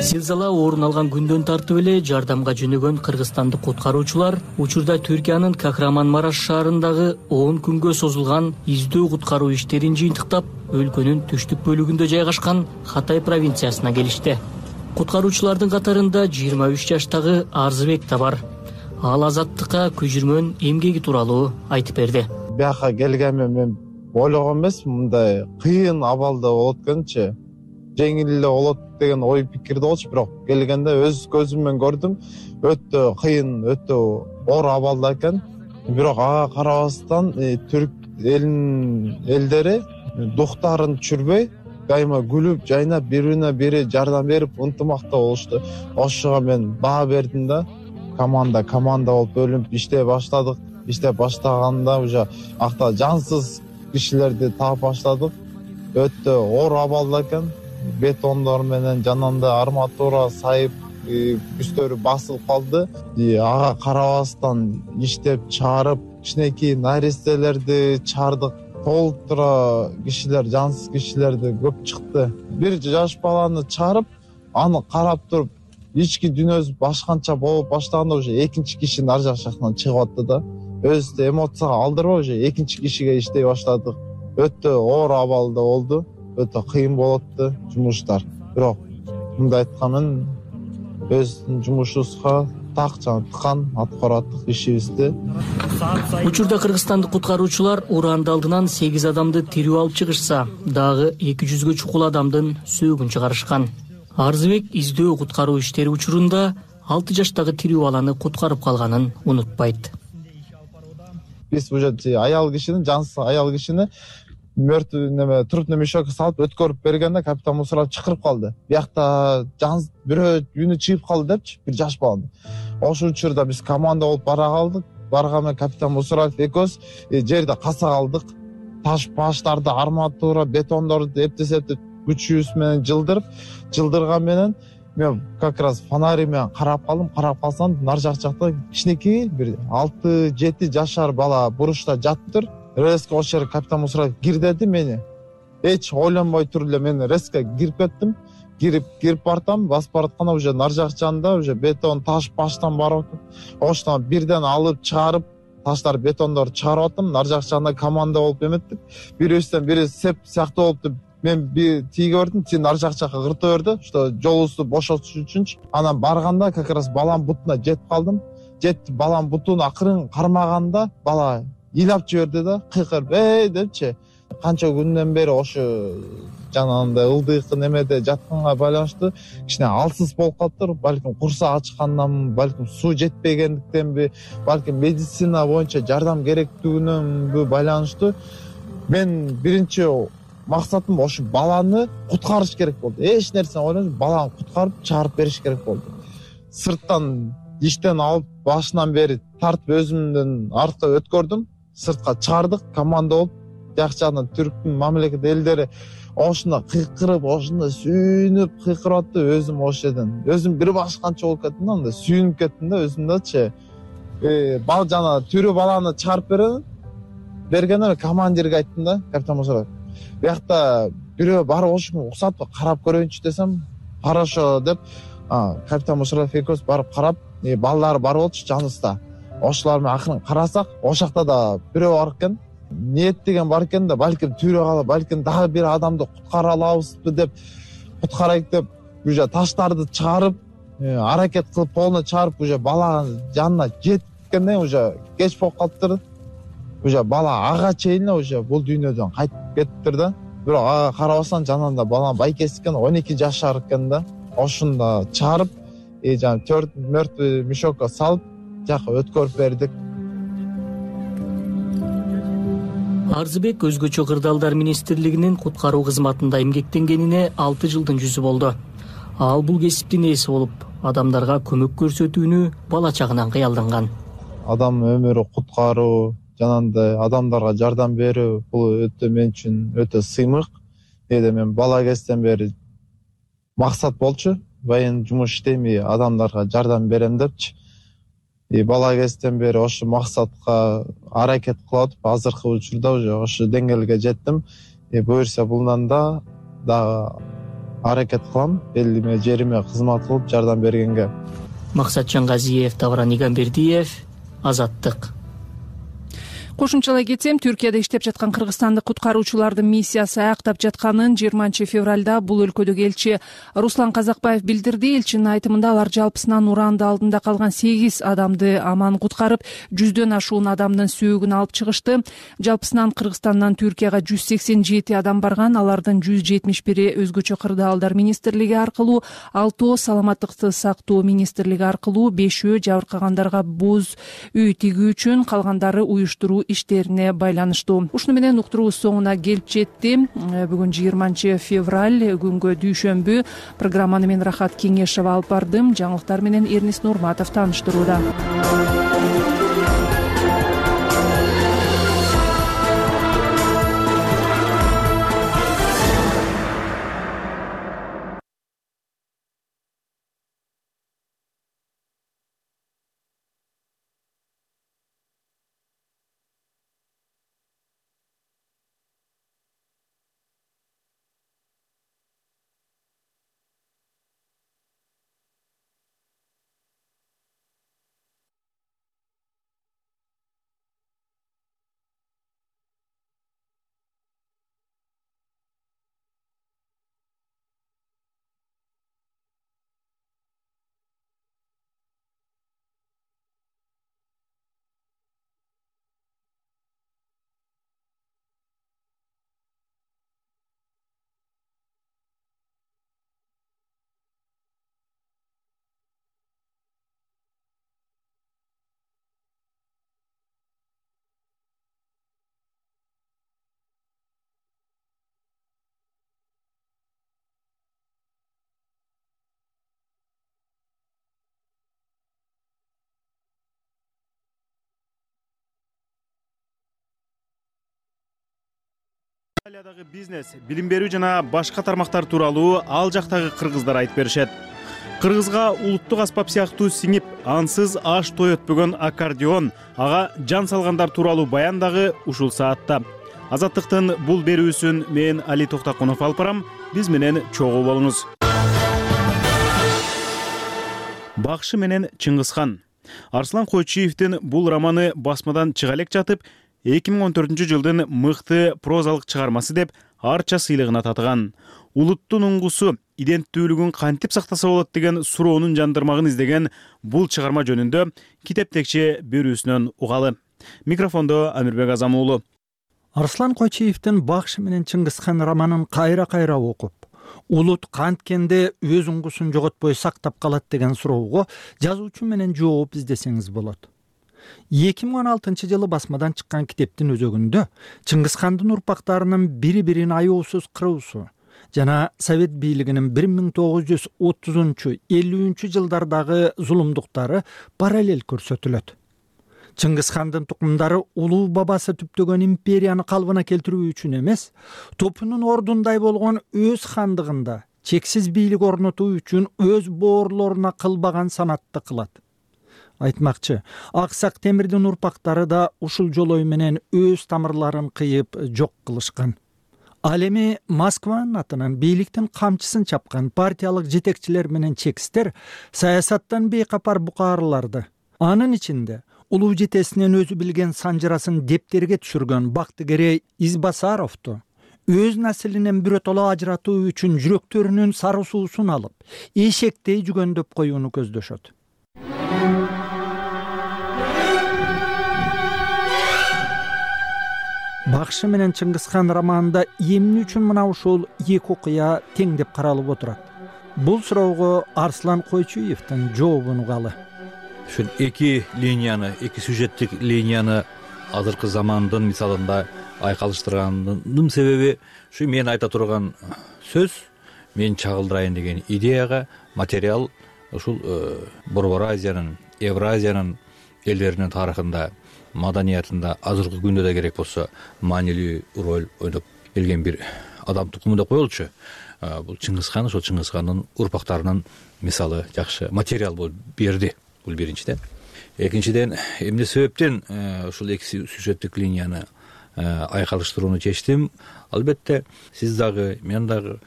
Зилзала орун алган күндөн тартып эле жардамга жөнөгөн кыргызстандык куткаруучулар учурда Түркиянын Кахраманмараш шаарындагы 10 күнгө созулган издөө куткаруу иштерин жыйынтыктап, өлкөнүн түштүк бөлүгүндө жайгашкан Хатай провинциясына келишти. Куткаруучулардын катарында 23 жаштагы Арзыбек да бар. Ал Азаттыкка көчүрмөн эмгеги тууралуу айтып берди. Бияка келгенмен мен ойлогон эмес, мындай кыйын абалда болот экенчи. жеңил эле болот деген ой пикирде болчу, бирок келгенде өз көзүм менен көрдүм, өтө кыйын, өтө оор абалда экен. Бирок ага карабастан түрк элдери дуктарын түшүрбөй, дайыма күлүп, жайнап, бири-бирине бири жардам берип, ынтымактуу болушту. Ошого мен баа бердим да, команда болуп бөлүнүп иштей баштадык. Иштеп баштаганда уже акта жансыз кишилерди таап баштадык. Өтө оор абалда экен. Бетондор менен жанында арматура сайып, үстөрү басылып калды. Ага карабастан иштеп чыгарып, кичинекей наристелерди чыгардык. Толтура кишилер, жансыз кишилерди көп чыкты. Бир жаш баланы чыгарып, аны карап туруп, ички дүйнөсү башканча болуп баштаганда уже экинчи кишинин ар жак жактан чыгып атты да. Өзүбүздү эмоцияга алдырбай уже экинчи кишиге иштей баштадык. Өтө оор абалда болду, өтө кыйын болупту жумуштар. Бирок мындай айтканмен өздүн жумушубузга так жана тыкан аткарып аттык ишибизди. Учурда кыргызстандык куткаруучулар уранды алдынан 8 адамды тирүү алып чыгышса, дагы 200гө чукул адамдын сөөгүн чыгарышкан. Арзыбек издөө куткаруу иштери учурунда 6 жаштагы тирүү баланы куткарып калганын унутпайт. Биз уже аял кишини, жансыз аял кишини мертвый трупный мешокко салып өткөрүп бергенде капитан Мусаров чакырып калды. Биякта жансыз бирөө үнү чыгып калды депчи, бир жаш баланы. Ошол учурда биз команда болуп бара калдык. Барган капитан Мусаров экөөбүз жерде каса калдык. Таш баштарды, арматура, бетондорду эптеп күчүбүз менен жылдырган менен мен как раз фонарь менен карап калдым. Карап калсам, нар жакта кичинекей бир 6-7 жашар бала буручта жатыптыр. Резко ошол капитан Мусаров кир деди мени. Эч ойлонбой туруп эле мен резко кирип кеттим. Кирип бартам, басып баратканда уже нар жак жанында уже бетон, таш баштан барып атат. Оштон бирден алып чыгарып, таштар, бетондорду чыгарып аттым. Нар жак жанында команда болуп эметтик. Бирибизден бири сеп сыяктуу болупту. Мен бир тийге бердим, сен нар жак жакка кырта берди, что жолубузду бошотуш үчүнчү. Анан барганда как раз баланын бутуна жетип калдым. Жетип баланын бутуна акырын кармаганда бала ыйлап жиберди да, кыйкырып депчи. Канча күндөн бери ошо жанагындай ылдыйк немеде жатканга байланыштуу кичине алсыз болуп калыптыр. Балким курсак ачкандан, балким суу жетпегендиктенби, балким медицина боюнча жардам керектигиненби байланыштуу. Мен биринчи максатым ошо баланы куткарыш керек болду. Эч нерсени ойлонбой баланы куткарып чыгарып бериш керек болду. Сырттан иштен алып башынан бери тартып өзүмдөн артка өткөрдүм. Сыртка чыгардык, команда болуп, жакчанын түрктүн мамлекет элдери ошондо кыйкырып, ошондо сүйүнүп кыйкырып атты. Өзүм ошол жерден өзүм бир башканча болуп кеттим да, анда сүйүнүп кеттим да өзүмдөчү. Бал жана тирүү баланы чыгарып бергенде командирге айттым да, капитан Мусаров. Биякта бирөө барып ошону уксатып карап көрөйүнчү десем, хорошо деп, капитан Мусаров экөөбүз барып карап, балдар бар болчу жаныбызда. Ошолар менен акырын карасак, ошол жакта да бирөө бар экен. Ниеттеген бар экен да, балким түйрө калып, балким дагы бир адамды куткара алабызбы деп, куткарайык деп, уже таштарды чыгарып, аракет кылып полно чыгарып, уже бала жанына жеткенде уже кеч болуп калыптыр. Уже бала ага чейин уже бул дүйнөдөн кайтып кетиптир да. Бирок ага карабастан жанында бала байкеси экен, 12 жашар экен да. Ошондо чыгарып, жана 4 мертвый мешокко салып, жакка өткөрүп бердик. Арзыбек өзгөчө кырдаалдар министрлигинин куткаруу кызматында эмгектенгенине 6 жылдын жүзү болду. Ал бул кесиптин ээси болуп, адамдарга көмөк көрсөтүүнү бала чагынан кыялданган. Адам өмүрү куткаруу, жанагындай адамдарга жардам берүү бул өтө мен үчүн өтө сыймык. Мен бала кезден бери максат болчу, байын жумуш иштейм, адамдарга жардам берем депчи. Бала кезден бери ошо максатка аракет кылып атып, азыркы учурда уже ошо деңгээлге жеттим. Буюрса булдан да дагы аракет кылам, элиме, жериме кызмат кылып жардам бергенге. Максатжан Газиев, Тавран Игамбердиев, Азаттык. Кошумчалай кетсем, Түркияда иштеп жаткан кыргызстандык куткаруучулардын миссиясы аяктап жатканын 20-февралда бул өлкөдөгү элчи Руслан Казакбаев билдирди. Элчинин айтымында алар жалпысынан уранды алдында калган 8 адамды аман куткарып, 100дөн ашуун адамдын сөөгүн алып чыгышты. Жалпысынан Кыргызстандан Түркияга 187 адам барган. Алардын 171 өзгөчө кырдаалдар министрлиги аркылуу, 6 саламаттыкты сактоо министрлиги аркылуу, 5 жабыркагандарга боз үй тигүү үчүн, калгандары уюштуруу иштерине байланыштуу. Ушуну менен уктуруубуз соңуна келип жетти. Бүгүн 20-февраль күнгө дүйшөмбү. Программаны мен Рахат Кеңешова алып бардым. Жаңылыктар менен Эрнис Нурматов тааныштырууда. Италиядагы бизнес, билим берүү жана башка тармактар тууралуу ал жактагы кыргыздар айтып беришет. Кыргызга улуттук аспап сыяктуу сиңип, ансыз аш той өтпөгөн аккордеон, ага жан салгандар тууралуу баян дагы ушул саатта. Азаттыктын бул берүүсүн мен Али Токтакунов алып барам. Биз менен чогуу болуңуз. Бакшы менен Чыңгызхан. Арслан Койчуевдин бул романы басмадан чыга элек жатып, 2014-жылдын мыкты прозалык чыгармасы деп арча сыйлыгына татыган. Улуттун уңгусу, иденттүүлүгүн кантип сактаса болот деген суроонун жандырмагын издеген бул чыгарма жөнүндө китептекче берүүсүнөн угалы. Микрофондо Амирбек Азам уулу. Арслан Койчуевдин Бакшы менен Чыңгызхан романын кайра-кайра окуп, улут канткенде өз уңгусун жоготпой сактап калат деген суроого жазуучу менен жооп издесеңиз болот. 2016-жылы басмадан чыккан китептин өзөгүндө Чыңгызхандын урпактарынын бири-бирин аяосуз кыруусу жана Совет бийлигинин 1930-50 жылдардагы зулумдуктары параллель көрсөтүлөт. Чыңгызхандын тукумдары улуу бабасы түптөгөн империяны калыбына келтирүү үчүн эмес, топунун ордундай болгон өз хандыгында чексиз бийлик орнотуу үчүн өз боорлоруна кылбаган санатты кылат. Айтмакчы, Аксак Темирдин урпактары да ушул жолой менен өз тамырларын кыйып жок кылышкан. Ал эми Москванын атынан бийликтин камчысын чапкан партиялык жетекчилер менен чекистер саясаттан бейкапар букаарларды, анын ичинде улуу жетесинен өзү билген санжырасын дептерге түшүргөн Бактыгерей Избасаровду өз наслинен биротоло ажыратуу үчүн жүрөктөрүнүн сары суусун алып, эшектей жүгөндөп коюуну көздөшөт. Бакшы менен Чыңгызхан романында эмне үчүн мына ушул эки окуя тең деп каралып отурат? Бул суроого Арслан Койчуевдин жообун угалы. Ушул эки линияны, эки сюжеттик линияны азыркы замандын мисалында айкалыштырганымдын себеби ушу мен айта турган сөз, мен чагылдырайын деген идеяга материал ушул Борбор Азиянын, Евразиянын элдеринин тарыхында, маданиятында азыркы күндө да керек болсо маанилүү роль ойноп келген бир адам тукуму деп коелучу. Бул Чыңгызхан, ошол Чыңгызхандын урпактарынын мисалы жакшы материал болуп берди. Бул биринчиден. Экинчиден, эмне себептен ушул эки сюжеттик линияны айкалыштырууну чечтим? Албетте, сиз дагы, мен дагы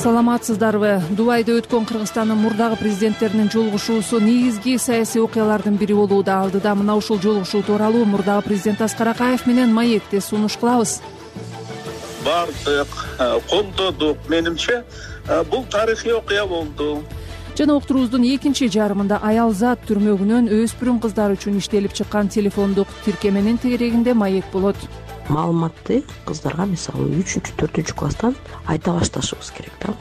саламатсыздарбы? Дубайда өткөн Кыргызстандын мурдагы президенттеринин жолугушуусу негизги саясий окуялардын бири болууда. Алдыда мына ушул жолугушуу тууралуу мурдагы президент Аскар Акаев менен маекте сунуш кылабыз. Бардык, колдодук. Менимче бул тарыхый окуя болду. Жана уктуруубуздун экинчи жарымында Аялзат түрмөгүнөн өспүрүм кыздар үчүн иштелип чыккан телефондук тиркеменин тегерегинде маек болот. Маалыматты кыздарга мисалы 3-4 класстан айта башташыбыз керек да.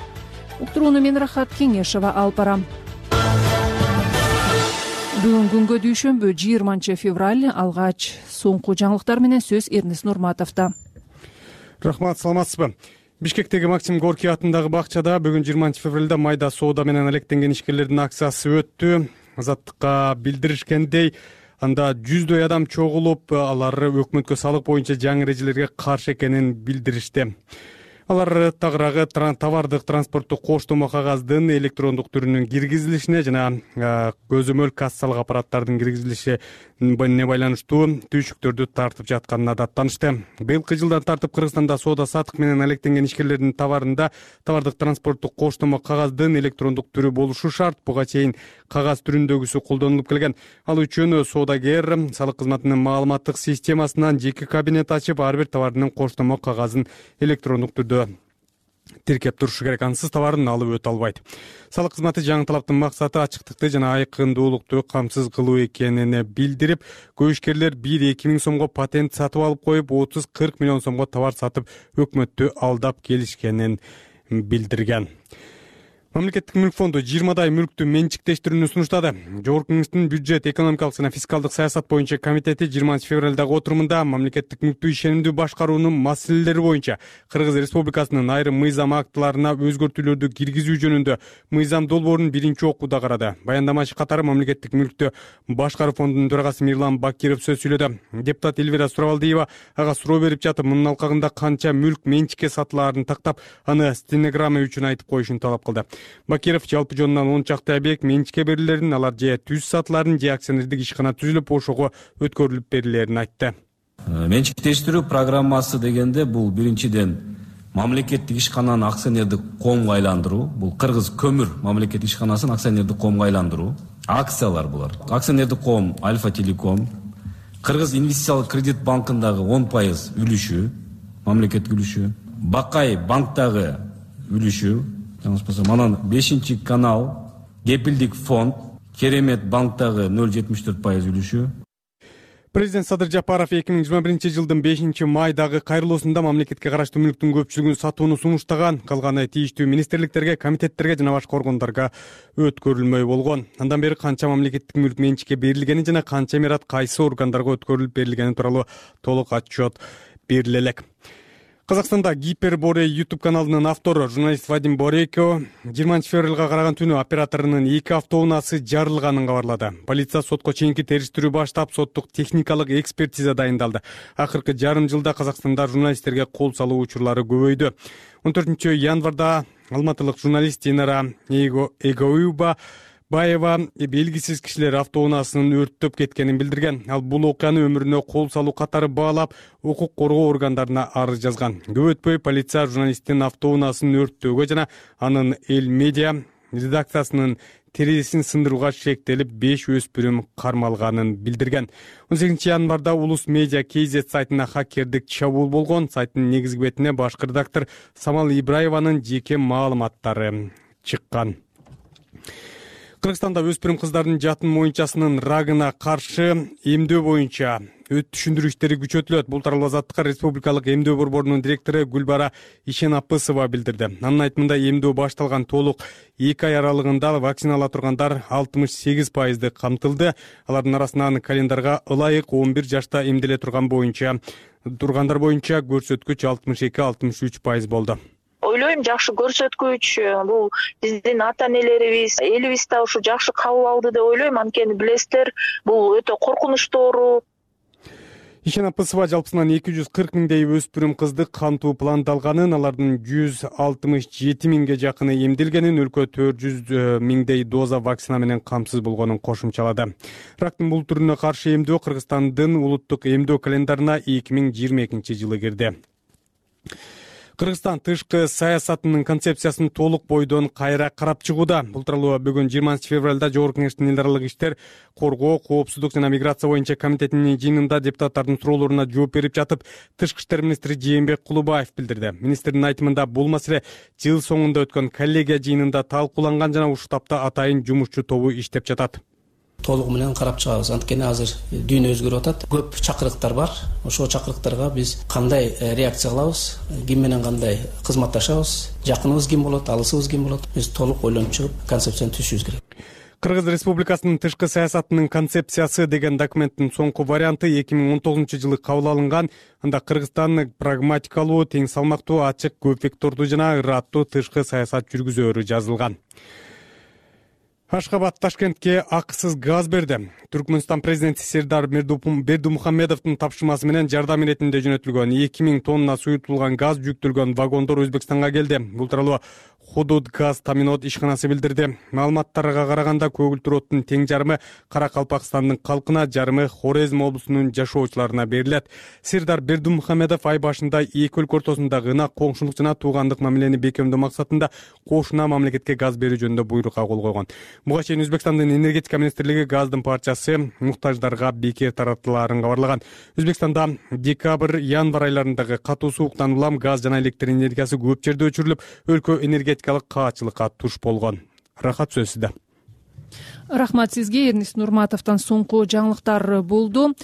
Уктурууну мен Рахат Кеңешова алып барам. Бүгүн күнгө дүйшөмбү 20-февраль. Алгач соңку жаңылыктар менен сөз Эрнис Нурматовдо. Рахмат, саламатсызбы? Бишкектеги Максим Горький атындагы бакчада бүгүн 20-февралда майда соода менен алектенген ишкерлердин акциясы өттү. Азаттыкка билдиришкендей, анда жүздөй адам чогулуп, алар өкмөткө салык боюнча жаңы эрежелерге каршы экенин билдиришти. Алар тагыраагы товардык транспорттук коштомо кагаздын электрондук түрүнүн киргизилишине жана көзөмөл кассалык аппараттардын киргизилишине байланыштуу түйшүктөрдү тартып жатканына даттанышты. Быйылкы жылдан тартып Кыргызстанда соода сатык менен алектенген ишкерлердин товарында товардык транспорттук коштомо кагаздын электрондук түрү болушу шарт. Буга чейин кагаз түрүндөгүсү колдонулуп келген. Ал үчүн соодагер салык кызматынын маалыматтык системасынан жеке кабинет ачып, ар бир товардын коштомо кагазын электрондук түрдө тиркеп турушу керек. Ансыз товарын алып өтө албайт. Салык кызматы жаңы талаптын максаты ачыктыкты жана айкындуулукту камсыз кылуу экенин билдирип, көп ишкерлер 1-2 миң сомго патент сатып алып коюп, 30-40 миллион сомго товар сатып өкмөттү алдап келишкенин билдирген. Мамлекеттик мүлк фонду 20дай мүлктү менчиктештирүүнү сунуштады. Жогорку Кеңештин бюджет, экономикалык жана фискалдык саясат боюнча комитети 20-февралдагы отурумунда мамлекеттик мүлктү ишенимдүү башкаруунун маселелери боюнча Кыргыз Республикасынын айрым мыйзам актыларына өзгөртүүлөрдү киргизүү жөнүндө мыйзам долбоорун биринчи окууда карады. Баяндамачы катары мамлекеттик мүлктү башкаруу фондунун төрагасы Мирлан Бакиров сөз сүйлөдү. Депутат Элвира Сурабалдиева ага суроо берип жатып, мунун алкагында канча мүлк менчикке сатылаарын тактап, аны стенограмма үчүн айтып коюшун талап кылды. Бакиров жалпы жонунан 10 чакты объект менчикке берилерин, алар же түз сатыларын, же акционердик ишкана түзүлүп, ошого өткөрүлүп берилерин айтты. Менчиктештирүү программасы дегенде бул биринчиден мамлекеттик ишкананы акционердик коомго айландыруу, бул Кыргыз көмүр мамлекеттик ишканасын акционердик коомго айландыруу. Акциялар булар. Акционердик коом Альфа Телеком, Кыргыз инвестициялык кредит банкындагы 10% үлүшү, мамлекеттик үлүшү, Бакай банктагы үлүшү, анан 5-канал, Кепилдик фонд, Керемет банктагы 0,74% үлүшү. Президент Садыр Жапаров 2021 жылдын 5-майдагы кайрылуусунда мамлекетке караштуу мүлктүн көпчүлүгүн сатууну сунуштаган, калганы тийиштүү министрликтерге, комитеттерге жана башка органдарга өткөрүлмөй болгон. Андан бери канча мамлекеттик мүлк менчикке берилгени жана канча мират кайсы органдарга өткөрүлүп берилгени тууралуу толук отчет бериле элек. Казакстанда Гиперборей YouTube каналынын автору журналист Вадим Борейко 20-февралга караган түнү операторунун 2 автоунаасы жарылганын кабарлады. Полиция сотко чейинки териштирүү баштап, соттук техникалык экспертиза дайындалды. Акыркы жарым жылда Казакстанда журналисттерге кол салуу учурлары көбөйдү. 14-январда алматылык журналист Динара Эгоюба Баева белгисиз кишилер автоунаасынын өрттөп кеткенин билдирген. Ал бул окуяны өмүрүнө кол салуу катары баалап, укук коргоо органдарына арыз жазган. Көп өтпөй полиция журналисттин автоунаасын өрттөөгө жана анын Эл Медиа редакциясынын терезесин сындырууга шектелип 5 өспүрүм кармалганын билдирген. 18-январда Улус Медиа KZ сайтына хакердик чабуул болгон. Сайттын негизги бетине башкы редактор Самал Ибраеванын жеке маалыматтары чыккан. Кыргызстанда өспүрүм кыздардын жатын моюнчасынын рагына каршы эмдөө боюнча түшүндүрүү иштери күчөтүлөт. Бул тууралуу Азаттыкка Республикалык эмдөө борборунун директору Гүлбара Ишенапысова билдирди. Анын айтымында эмдөө башталган толук 2 ай аралыгында вакцинала тургандар 68% камтылды. Алардын арасынан календарга ылайык 11 жашта эмделе тургандар боюнча көрсөткүч 62-63% болду. Ойлойм, жакшы көрсөткүч. Бул биздин ата энелерибиз, элибиз да ушу жакшы кабыл алды деп ойлойм. Анткени билесиздер, бул өтө коркунучтуу оору. Ишенапысова жалпысынан 240 миңдей өспүрүм кызды кантуу пландалганын, алардын 167 миңге жакыны эмделгенин, өлкө 400 миңдей доза вакцина менен камсыз болгонун кошумчалады. Рактын бул түрүнө каршы эмдөө Кыргызстандын улуттук эмдөө календарына 2022 жылы кирди. Кыргызстан тышкы саясатынын концепциясын толук бойдон кайра карап чыгууда. Бул тууралуу бүгүн 20 февралда Жогорку Кеңештин эл аралык иштер, коргоо, коопсуздук жана миграция боюнча комитетинин жыйынында депутаттардын суроолоруна жооп берип жатып, тышкы иштер министри Жээнбек Кулубаев билдирди. Министрдин айтымында бул маселе жыл соңунда өткөн коллегия жыйынында талкууланган жана ушул тапта атайын жумушчу тобу иштеп жатат. Толугу менен карап чыгабыз. Анткени азыр дүйнө өзгөрүп атат. Көп чакырыктар бар. Ошол чакырыктарга биз кандай реакция кылабыз, ким менен кандай кызматташабыз, жакыныбыз ким болот, алысыбыз ким болот. Биз толук ойлонуп чыгып, концепцияны түзүшүбүз керек. Кыргыз Республикасынын тышкы саясатынын концепциясы деген документтин соңку варианты 2019 кабыл алынган. Анда Кыргызстан прагматикалуу, тең салмактуу, ачык, көп вектордуу жана ыраттуу тышкы саясат жүргүзөөрү жазылган. Ашхабад Ташкентке акысыз газ берди. Түркмөнстан президенти Сердар Бердимухамедовдун тапшырмасы менен жардам иретинде жөнөтүлгөн 2000 тонна суютулган газ жүктөлгөн вагондор Өзбекстанга келди. Бул тууралуу Худуд газ таминот ишканасы билдирди. Маалыматтарга караганда көгүлтүр оттун тең жарымы Каракалпакстандын калкына, жарымы Хорезм облусунун жашоочуларына берилет. Сердар Бердимухамедов ай башында эки өлкө ортосундагы ынак коңшулук жана туугандык мамилени бекемдөө максатында кошуна мамлекетке газ берүү жөнүндө буйрукка кол койгон. Буга чейин Өзбекстандын энергетика министрлиги газдын парчасы муктаждарга бекер таратылаарын кабарлаган. Өзбекстанда декабрь, январь айларындагы катуу сууктан улам газ жана электр энергиясы көп жерде өчүрүлүп, өлкө энергетикалык каачылыкка туш болгон. Рахат сөз сизде. Рахмат сизге. Эрнис Нурматовдон соңку жаңылыктар болду.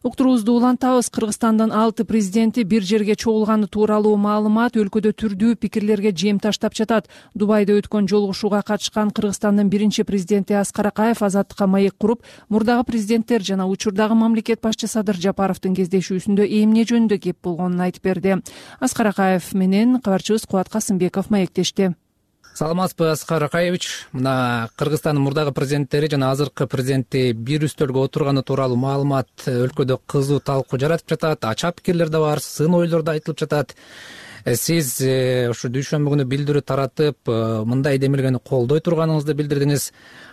Уктуруубузду улантабыз. Кыргызстандын 6 президенти бир жерге чогулганы тууралуу маалымат өлкөдө түрдүү пикирлерге жем таштап жатат. Дубайда өткөн жолугушууга катышкан Кыргызстандын биринчи президенти Аскар Акаев азаттыкка маек куруп, мурдагы президенттер жана учурдагы мамлекет башчы Садыр Жапаровдун кездешүүсүндө эмне жөнүндө кеп болгонун айтып берди. Аскар Акаев менен кабарчыбыз Кубат Касымбеков маектешти. Саламатсызбы, Аскар Акаевич. Мына Кыргызстандын мурдагы президенттери жана азыркы президенти бир үстөлгө отурганы тууралуу маалымат өлкөдө кызуу талкуу жаратып жатат. Ача пикирлер да бар, сын ойлор да айтылып жатат. Сиз ушу дүйшөмбү күнү билдирүү таратып, мындай демилгени колдой турганыңызды билдирдиңиз.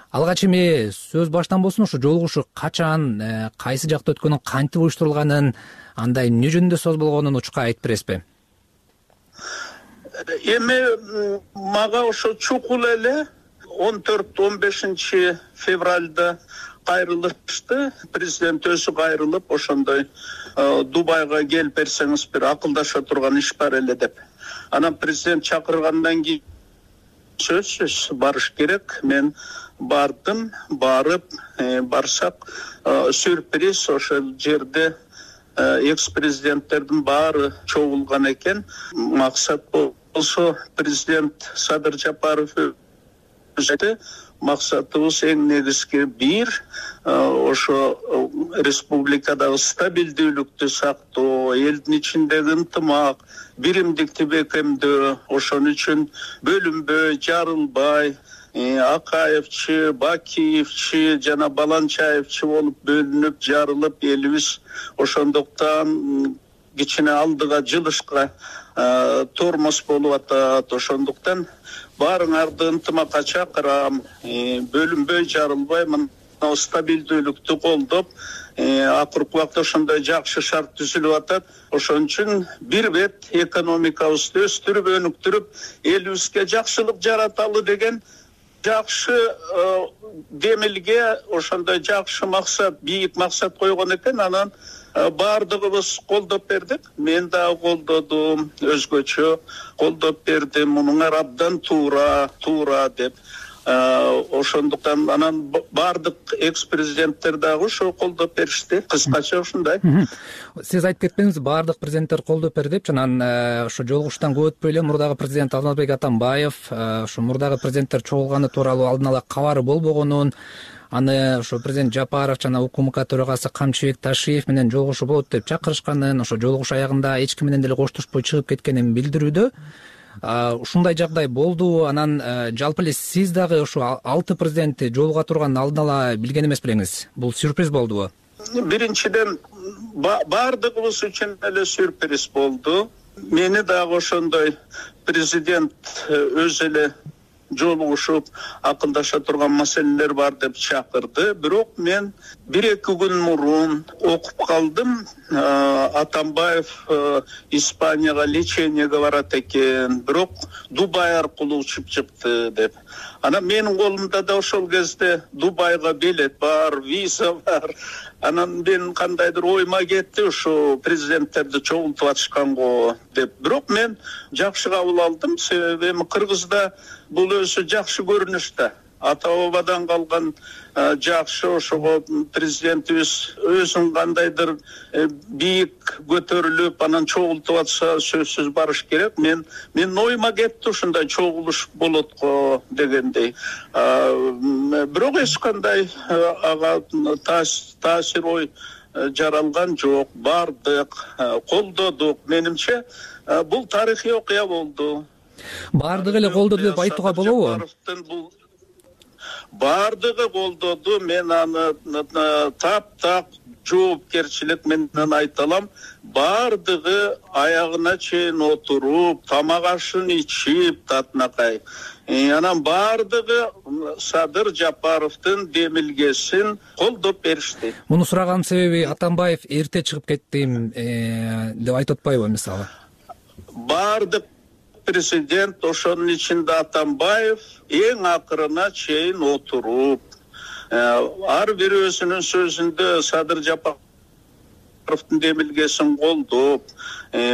Алгач эми сөз баштан болсун, ушу жолугушуу качан, кайсы жакта өткөнүн, кантип уюштурулганын, анда эмне жөнүндө сөз болгонун учка айтып бересизби? Эми мага ошо чукул эле 14-15 февралда кайрылышты. Президент өзү кайрылып, ошондой Дубайга келип берсеңиз бир акылдаша турган иш бар эле деп. Анан президент чакыргандан кийин сөзсүз барыш керек. Мен бардым, барып, барсак сюрприз ошол жерде экс-президенттердин баары чогулган экен. Максат болсо президент Садыр Жапаров өзү максатыбыз эң негизги бир ошо республикадагы стабилдүүлүктү сактоо, элдин ичиндеги ынтымак, биримдикти бекемдөө. Ошон үчүн бөлүнбөй, жарылбай, Акаевчи, Бакиевчи жана Баланчаевчи болуп бөлүнүп, жарылып, элибиз ошондуктан кичине алдыга жылышка тормоз болуп атат. Ошондуктан баарыңарды ынтымакка чакырам, бөлүнбөй, жарылбай, мына стабилдүүлүктү колдоп, акыркы убакта ошондой жакшы шарт түзүлүп атат. Ошон үчүн бир бет экономикабызды өстүрүп, өнүктүрүп, элибизге жакшылык жараталы деген жакшы демилге, ошондой жакшы максат, бийик максат койгон экен. Анан баардыгыбыз колдоп бердик. Мен дагы колдодум, өзгөчө колдоп бердим. Мунуңар абдан туура деп. Ошондуктан анан баардык экс-президенттер дагы ошо колдоп беришти. Кыскача ушундай. Сиз айтып кетпеңиз, баардык президенттер колдоп берди деп. Анан ошо жолугуштан көп өтпөй эле мурдагы президент Алмазбек Атамбаев ошо мурдагы президенттер чогулганы тууралуу алдын ала кабары болбогонун, аны ошо президент Жапаров жана УКМК төрагасы Камчыбек Ташиев менен жолугушуу болот деп чакырышканын, ошо жолугушуу аягында эч ким менен деле коштошпой чыгып кеткенин билдирүүдө. Ушундай жагдай болду. Анан жалпы эле сиз дагы ошо 6 президентти жолуга турганын алдын ала билген эмес белеңиз. Бул сюрприз болдубу? Биринчиден баардыгыбыз үчүн эле сюрприз болду. Мени дагы ошондой президент өзү эле жолугушуп акылдаша турган маселелер бар деп чакырды. Бирок мен 1-2 күн мурун окуп калдым, Атамбаев Испанияга лечениеге барат экен, бирок Дубай аркылуу учуп чыкты деп. Анан менин колумда да ошол кезде Дубайга билет бар, виза бар. Анан мен кандайдыр ойма кетти, ушу президенттерди чогултуп атышканго деп. Бирок мен жакшы кабыл алдым, себеби Кыргызда бул өзү жакшы көрүнүш да. Ата бабадан калган жакшы, ошого президентибиз өзүн кандайдыр бийик көтөрүлүп, анан чогултуп атса сөзсүз барыш керек. Мен ойма кетти ушундай чогулуш болот го дегендей. Бирок эч кандай ага таасир ой жаралган жок. Бардык, колдодук. Менимче бул тарыхый окуя болду. Бардыгы эле колдоду деп айтууга болобу? Бардыгы колдоду. Мен аны таптак жоопкерчилик менен айта алам. Бардыгы аягына чейин отуруп, тамак ашын ичип, татынакай. Анан бардыгы Садыр Жапаровдун демилгесин колдоп беришти. Муну сураганын себеби Атамбаев эрте чыгып кеттим деп айтып атпайбы мисалы? Бардык президент, ошонун ичинде Атамбаев эң акырына чейин отуруп, ар бир өзүнүн сөзүндө Садыр Жапаровдун демилгесин колдоп,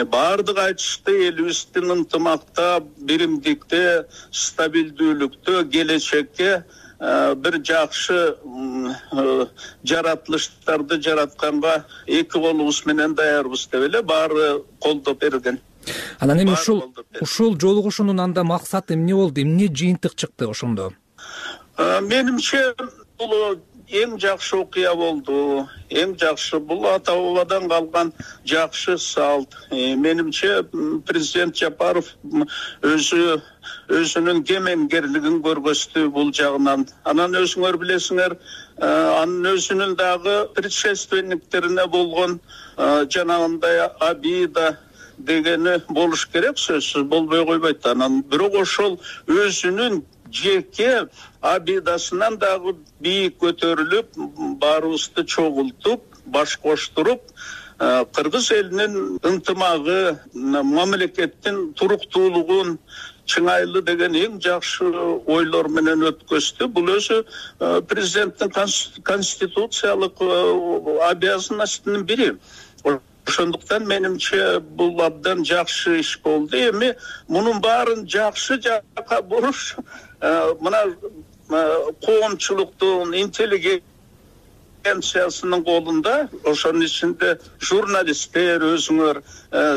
бардык айтышты элибиздин ынтымакта, биримдикте, стабилдүүлүктө, келечекке бир жакшы жаратылыштарды жаратканга эки колубуз менен даярбыз деп эле баары колдоп берген. Анан эми ушул жолугушуунун анда максаты эмне болду? Эмне жыйынтык чыкты ошондо? Менимче бул эң жакшы окуя болду. Эң жакшы бул ата бабадан калган жакшы салт. Менимче президент Жапаров өзүнүн кемеңгерлигин көргөздү бул жагынан. Анан өзүңөр билесиңер, анын өзүнүн дагы предшественниктерине болгон жанагындай обида дегени болуш керек, сөзсүз болбой койбойт. Анан бирок ошол өзүнүн жеке обидасынан дагы бийик көтөрүлүп, баарыбызды чогултуп, баш коштуруп, кыргыз элинин ынтымагы, мамлекеттин туруктуулугун чыңайлы деген эң жакшы ойлор менен өткөздү. Бул өзү президенттин конституциялык обязанностунун бири. Ошондуктан менимче бул абдан жакшы иш болду. Эми мунун баарын жакшы жакка буруш мына коомчулуктун интеллигенциясынын колунда, ошонун ичинде журналисттер өзүңөр,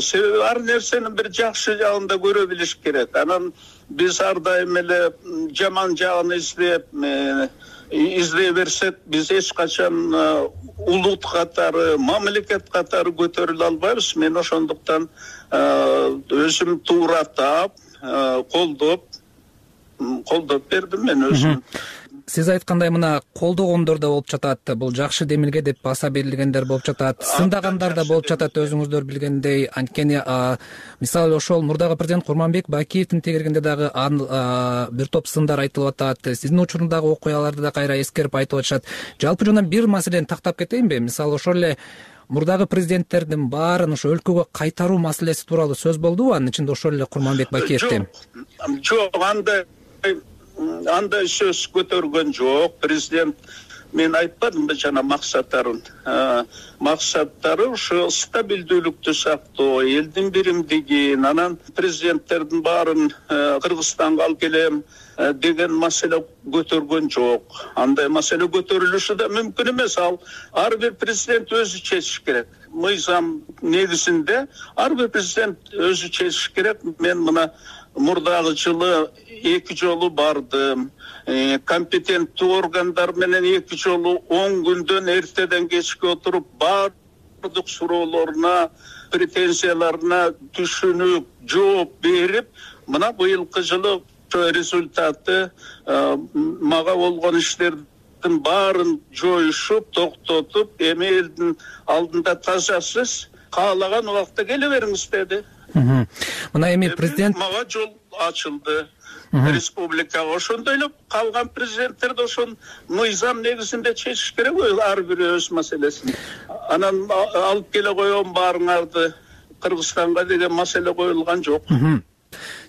себеби ар нерсенин бир жакшы жагын да көрө билиш керек. Анан биз ар дайым эле жаман жагын издей берсек, биз эч качан улут катары, мамлекет катары көтөрүлө албайбыз. Мен ошондуктан өзүм туура таап, колдоп бердим мен өзүм. Сиз айткандай мына колдогондор да болуп жатат, бул жакшы демилге деп баса берилгендер болуп жатат, сындагандар да болуп жатат, өзүңүздөр билгендей. Анткени мисалы ошол мурдагы президент Курманбек Бакиевдин тегерегинде дагы бир топ сындар айтылып атат. Сиздин учурундагы окуяларды да кайра эскерип айтып атышат. Жалпы жана бир маселени тактап кетейинби? Мисалы ошол эле мурдагы президенттердин баарын ошо өлкөгө кайтаруу маселеси тууралуу сөз болдубу? Анын ичинде ошол эле Курманбек Бакиевдин. Жок, андай сөз көтөргөн жок. Президент мен айтпадымбы жана максаттарын. Максаттары ушу стабилдүүлүктү сактоо, элдин биримдигин, анан президенттердин баарын Кыргызстанга алып келем деген маселе көтөргөн жок. Андай маселе көтөрүлүшү да мүмкүн эмес. Ар бир президент өзү чечиш керек. Мыйзам негизинде ар бир президент өзү чечиш керек. Мен мына мурдагы жылы 2 жолу бардым. Компетенттүү органдар менен 2 жолу 10 күндөн эртеден кечке отуруп, бардык суроолоруна, претензияларына түшүнүп, жооп берип, мына быйылкы жылы результаты мага болгон иштердин баарын жоюшуп, токтотуп, эми элдин алдында тазасыз, каалаган убакта келе бериңиз деди. Мына эми президент мага жол ачылды. республикага. Ошондой эле калган президенттер да ошол мыйзам негизинде чечиш керек ар бири өз маселесин. Анан алып келе коем баарыңарды, Кыргызстанга деген маселе коюлган жок.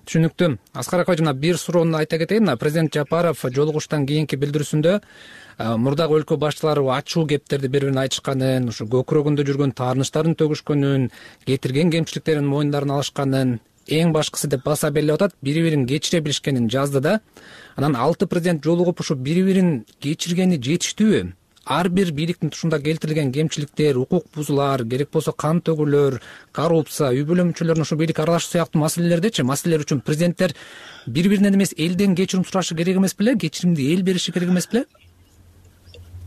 Түшүнүктүү. Аскар акай, жана бир суроону айта кетейин. Президент Жапаров жолугуштан кийинки билдирүүсүндө мурдагы өлкө башчылары ачуу кептерди бири-бирине айтышканын, ушу көкүрөгүндө жүргөн таарынычтарын төгүшкөнүн, кетирген кемчиликтерин мойундарына алышканын, эң башкысы деп баса белгилеп атат, бири-бирин кечире билишкенин жазды да. Анан 6 президент жолугуп ушу бири-бирин кечиргени жетиштүүбү? Ар бир бийликтин тушунда келтирилген кемчиликтер, укук бузуулар, керек болсо кан төгүүлөр, коррупция, үй бүлө мүчөлөрүнүн ушу бийлик аралашуу сыяктуу маселелер үчүн президенттер бири-биринен эмес элден кечирим сурашы керек эмес беле? Кечиримди эл бериши керек эмес беле?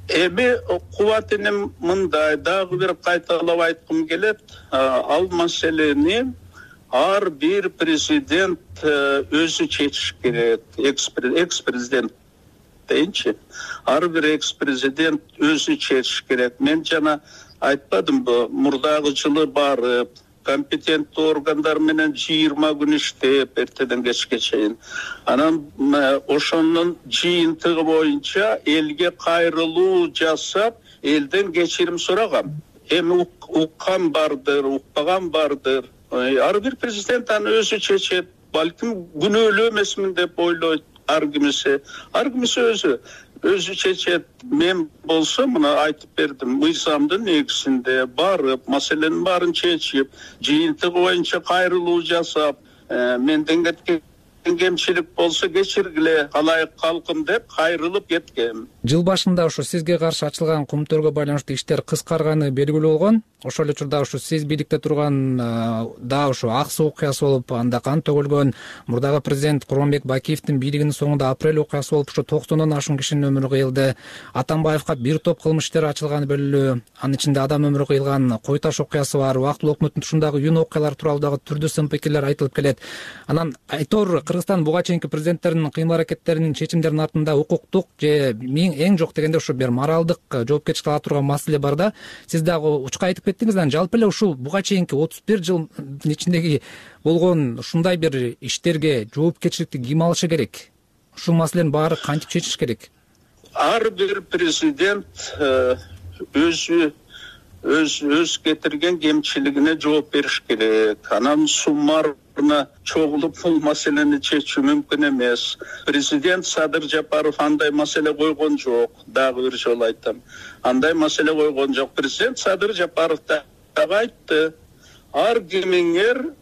Эми кубатым мындай, дагы бир кайталап айткым келет. Ал маселени ар бир президент өзү чечиш керек. Экс-президент дейинчи. Ар бир экс-президент өзү чечиш керек. Мен жана айтпадымбы, мурдагы жылы барып, компетенттүү органдар менен 20 күн иштеп, эртеден кечке чейин. Анан ошонун жыйынтыгы боюнча элге кайрылуу жасап, элден кечирим сурагам. Эми уккан бардыр, укпаган бардыр. Ар бир президент аны өзү чечет. Балким күнөөлүү эмесмин деп ойлойт ар кимиси өзү чечет. Мен болсо мына айтып бердим, мыйзамдын негизинде барып, маселенин баарын чечип, жыйынтыгы боюнча кайрылуу жасап, менден кеткен кемчилик болсо кечиргиле, алайык калкым деп кайрылып кеткем. Жыл башында ушу сизге каршы ачылган кумтөргө байланыштуу иштер кыскарганы белгилүү болгон. Ошол эле учурда ушу сиз бийликте турган да ушу ак суу окуясы болуп, анда кан төгүлгөн. Мурдагы президент Курманбек Бакиевдин бийлигинин соңунда апрель окуясы болуп, ушу 90дон ашуун кишинин өмүрү кыйылды. Атамбаевга бир топ кылмыш иштери ачылганы белгилүү. Анын ичинде адам өмүрү кыйылган Кой Таш окуясы бар. Убактылуу өкмөттүн тушундагы юн окуялар тууралуу дагы түрдүү сын пикирлер айтылып келет. Анан айтор Кыргызстан буга чейинки президенттердин кыймыл-аракеттеринин, чечимдеринин артында укуктук же эң жок дегенде ушу бир моралдык жоопкерчилик ала турган маселе бар да. Сиз дагы учка айтып кеттиңиз. Анан жалпы эле ушул буга чейинки 31 жылдын ичиндеги болгон ушундай бир иштерге жоопкерчиликти ким алышы керек? Ушул маселенин баары кантип чечиш керек? Ар бир президент өз кетирген кемчилигине жооп бериш керек. Анан суммарына чогулуп бул маселени чечүү мүмкүн эмес. Президент Садыр Жапаров андай маселе койгон жок. Дагы бир жолу айтам. Андай маселе койгон жок. Президент Садыр Жапаров дагы айтты. Ар кимиңер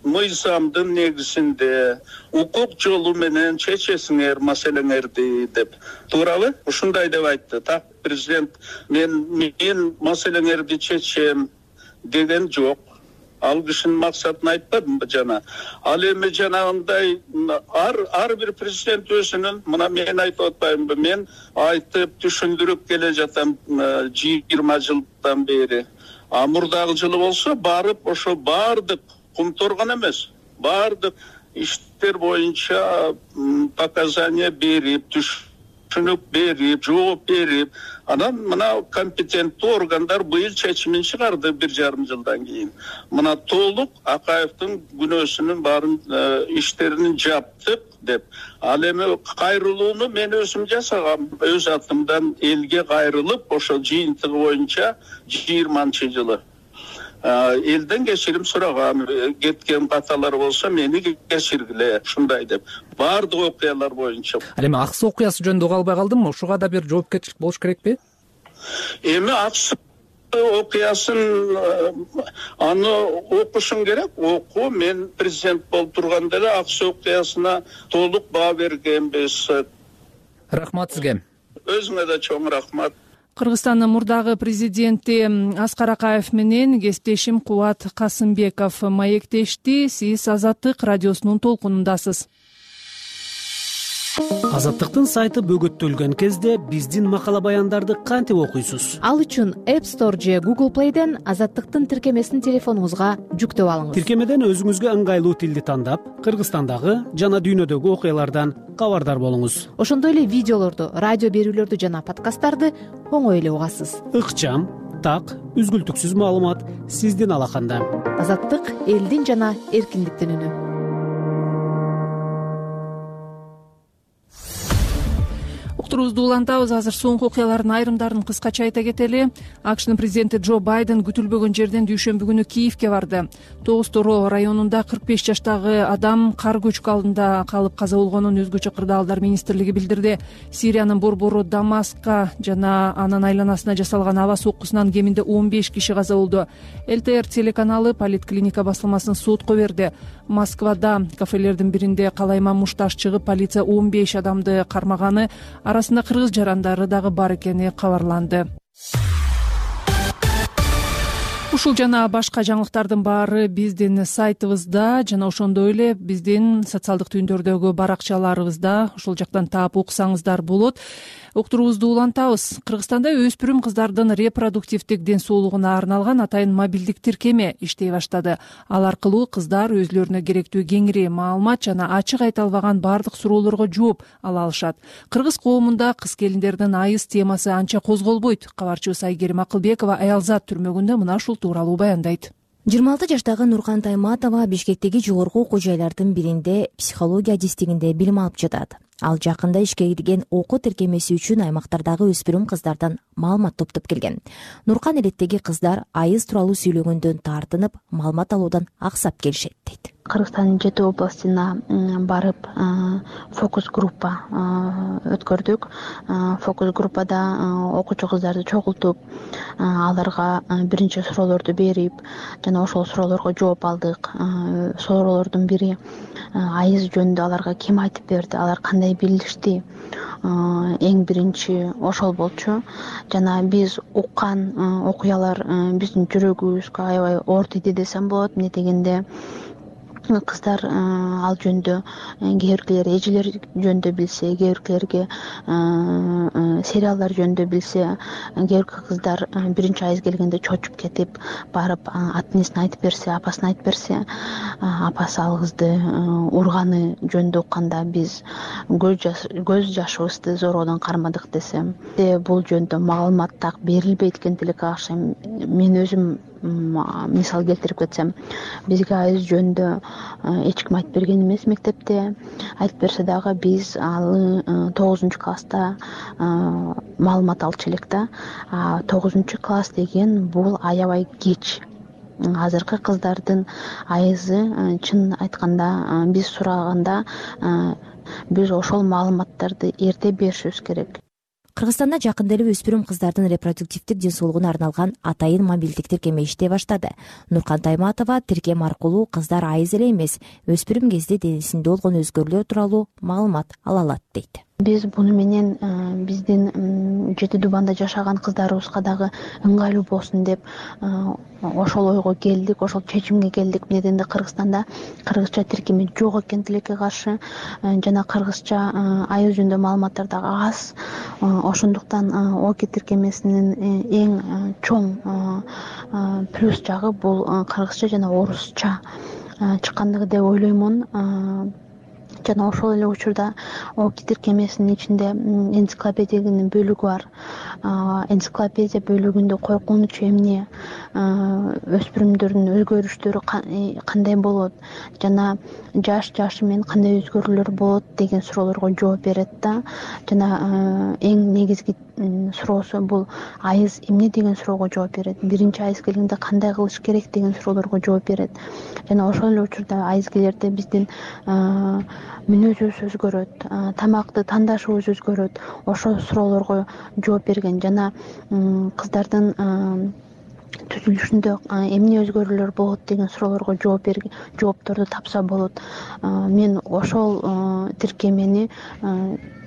мыйзамдын негизинде укук жолу менен чечесиңер маселеңерди деп. Туурабы? Ушундай деп айтты. Так президент мен маселеңерди чечем деген жок. Ал кишинин максатын айтпадымбы жана. Ал эми жанагындай ар бир президент өзүнүн, мына мен айтып атпаймынбы, мен айтып түшүндүрүп келе жатам 20 жылдан бери. Мурдагы жылы болсо барып ошо баардык кумторгон эмес, баардык иштер боюнча показания берип, түшүнүк берип, жооп берип, анан мына компетенттүү органдар быйыл чечимин чыгарды 1,5 жылдан кийин. Мына толук Акаевдин күнөөсүнүн баарын иштерин жаптык деп. Ал эми кайрылууну мен өзүм жасагам. Өз атымдан элге кайрылып, ошол жыйынтыгы боюнча 20-жылы элден кечирим сурагам. Кеткен каталар болсо мени кечиргиле, ушундай деп. Баардык окуялар боюнча. Ал эми Ак суу окуясы жөнүндө уга албай калдым. Ушуга да бир жоопкерчилик болуш керекпи? Эми Ак суу окуясын аны окушуң керек. Оку. Мен президент болуп турганда эле Ак суу окуясына толук баа бергенбиз. Рахмат сизге. Өзүңө да чоң рахмат. Кыргызстандын мурдагы президенти Аскар Акаев менен кесиптешим Кубат Касымбеков маектешти. Сиз Азаттык радиосунун толкунундасыз. Азаттыктын сайты бөгөттөлгөн кезде биздин макала баяндарды кантип окуйсуз? Ал үчүн App Store же Google Play'ден Азаттыктын тиркемесин телефонуңузга жүктөп алыңыз. Тиркемеден өзүңүзгө ыңгайлуу тилди тандап, Кыргызстандагы жана дүйнөдөгү окуялардан кабардар болуңуз. Ошондой эле видеолорду, радио берүүлөрдү жана подкасттарды оңой эле угасыз. Ыкчам, так, үзгүлтүксүз маалымат сиздин алаканда. Азаттык — элдин жана эркиндиктин үнү. уктуруубузду улантабыз. Азыр соңку окуялардын айрымдарын кыскача айта кетели. АКШнын президенти Джо Байден күтүлбөгөн жерден дүйшөмбү күнү Киевке барды. 9 районунда 45 жаштагы адам кар көчкү алдында калып каза болгонун өзгөчө кырдаалдар министрлиги билдирди. Сириянын борбору Дамаскка жана анын айланасына жасалган аба соккусунан кеминде 15 киши каза болду. ЛТР телеканалы поликлиника басылмасын сотко берди. Москвада кафелердин биринде калайма мушташ чыгып, полиция 15 адамды кармаганы, арасында кыргыз жарандары дагы бар экени кабарланды. Ушул жана башка жаңылыктардын баары биздин сайтыбызда жана ошондой эле биздин социалдык түйүндөрдөгү баракчаларыбызда, ошол жактан таап окусаңыздар болот. Уктуруубузду улантабыз. Кыргызстанда өспүрүм кыздардын репродуктивдик ден соолугуна арналган атайын мобилдик тиркеме иштей баштады. Ал аркылуу кыздар өзлөрүнө керектүү кеңири маалымат жана ачык айта албаган бардык суроолорго жооп ала алышат. Кыргыз коомунда кыз келиндердин айыз темасы анча козголбойт. Кабарчыбыз Айгерим Акылбекова Аялзат түрмөгүндө мына ушул тууралуу баяндайт. 26 жаштагы Нуркан Тайматова Бишкектеги жогорку окуу жайлардын биринде психология адистигинде билим алып жатат. Ал жакында ишке кирген окуу тиркемеси үчүн аймактардагы өспүрүм кыздардан маалымат топтоп келген. Нуркан элеттеги кыздар айыз тууралуу сүйлөгөндөн тартынып, маалымат алуудан аксап келишет дейт. Кыргызстандын 7 областына барып фокус группа өткөрдүк. Фокус группада окуучу кыздарды чогултуп, аларга биринчи суроолорду берип, жана ошол суроолорго жооп алдык. Суроолордун бири айыз жөнүндө аларга ким айтып берди, алар кандай билишти. Эң биринчи ошол болчу. Жана биз уккан окуялар биздин жүрөгүбүзгө аябай оор тийди десем болот. Эмне дегенде кыздар ал жөнүндө кээ биркилер эжелер жөнүндө билсе, кээ биркилерге сериалдар жөнүндө билсе, кээ бирки кыздар биринчи айыз келгенде чочуп кетип барып ата энесине айтып берсе, апасына айтып берсе, апасы ал кызды урганы жөнүндө укканда биз көз жашыбызды зородон кармадык десем, бул жөнүндө маалымат так берилбейт экен тилекке каршы. Мен өзүм мисал келтирип кетсем, бизге айыз жөнүндө эч ким айтып берген эмес мектепте. Айтып берсе дагы биз алы 9-класста маалымат алчу элек да. 9-класс деген бул аябай кеч. Азыркы кыздардын айызы чын айтканда биз сураганда биз ошол маалыматтарды эрте беришибиз керек. Кыргызстанда жакында эле өспүрүм кыздардын репродуктивдик ден соолугуна арналган атайын мобилдик тиркеме иштей баштады. Нуркан Тайматова тиркем аркылуу кыздар айыз эле эмес, өспүрүм кезде денесинде болгон өзгөрүүлөр тууралуу маалымат ала алат дейт. Биз буну менен биздин Жети Дубанда жашаган кыздарыбызга дагы ыңгайлуу болсун деп ошол ойго келдик, ошол чечимге келдик. Эмне дегенде Кыргызстанда кыргызча тиркеме жок экен тилекке каршы, жана кыргызча айыз жөнүндө маалыматтар дагы аз. Ошондуктан ОКИ тиркемесинин эң чоң плюс жагы бул кыргызча жана орусча чыккандыгы деп ойлоймун. Жана ошол эле учурда ОКИ тиркемесинин ичинде энциклопедиянын бөлүгү бар. Энциклопедия бөлүгүндө коркунуч эмне, өспүрүмдөрдүн өзгөрүштөрү кандай болот, жана жашы менен кандай өзгөрүүлөр болот деген суроолорго жооп берет да. Жана эң негизги суроосу бул айыз эмне деген суроого жооп берет. Биринчи айыз келгенде кандай кылыш керек деген суроолорго жооп берет. Жана ошол эле учурда айыз-келерде биздин мүнөзүбүз өзгөрөт, тамакты тандашыбыз өзгөрөт. Ошол суроолорго жооп берген жана кыздардын түзүлүшүндө эмне өзгөрүүлөр болот деген суроолорго жоопторду тапса болот. Мен ошол тиркемени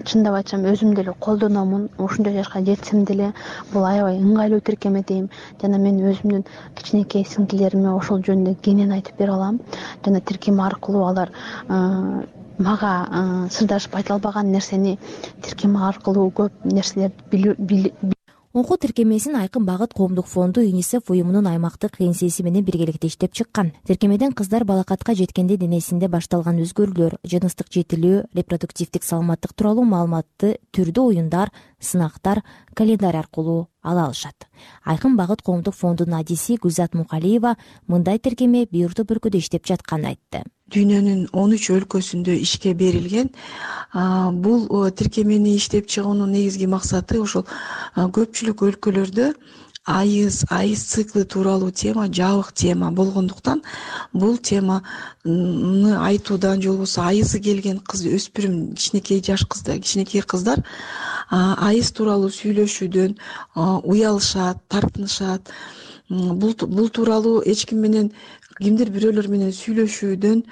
чындап айтсам өзүм деле колдономун. Ушунча жашка жетсем деле бул аябай ыңгайлуу тиркеме дейм. Жана мен өзүмдүн кичинекей сиңдилериме ошол жөнүндө кенен айтып бере алам. Жана тиркеме аркылуу алар мага сырдашып айта албаган нерсени тиркеме аркылуу көп нерселерди Окуу тиркемесин Айкын багыт коомдук фонду ЮНИСЕФ уюмунун аймактык кеңсеси менен биргеликте иштеп чыккан. Тиркемеден кыздар балакатка жеткенде денесинде башталган өзгөрүүлөр, жыныстык жетилүү, репродуктивдик саламаттык тууралуу маалыматты түрдүү оюндар, сынактар, календарь аркылуу ала алышат. Айкын багыт коомдук фондунун адиси Гүлзат Мукалиева мындай тиркеме бийурдук өлкөдө иштеп жатканын айтты. Дүйнөнүн 13 өлкөсүндө ишке берилген. Бул тиркемени иштеп чыгуунун негизги максаты ошол көпчүлүк өлкөлөрдө айыз циклы тууралуу тема жабык тема болгондуктан бул теманы айтуудан же болбосо айызы келген кыз өспүрүм кичинекей жаш кыздар кичинекей кыздар айыз тууралуу сүйлөшүүдөн уялышат, тартынышат. Бул тууралуу эч ким менен кимдир бирөөлөр менен сүйлөшүүдөн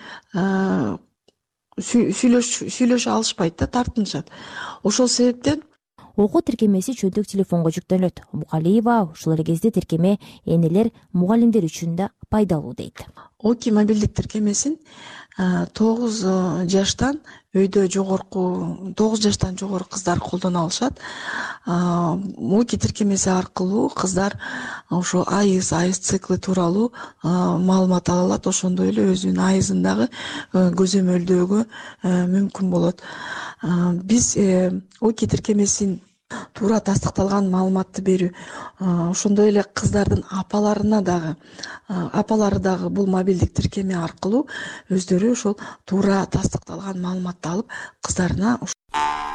сүйлөшө алышпайт да, тартынышат. Ошол себептен окуу тиркемеси чөйдүк телефонго жүктөлөт. Мукалиева ушул эле кезде тиркеме энелер, мугалимдер үчүн да пайдалуу дейт. Оки мобилдик тиркемесин 9 жаштан өйдө жогорку 9 жаштан жогору кыздар колдоно алышат. Оки тиркемеси аркылуу кыздар ошо айыз циклы тууралуу маалымат ала алат. Ошондой эле өзүнүн айызын дагы көзөмөлдөөгө мүмкүн болот. Биз Оки тиркемесин туура тастыкталган маалыматты берүү, ошондой эле кыздардын апалары дагы бул мобилдик тиркеме аркылуу өздөрү ошол туура тастыкталган маалыматты алып кыздарына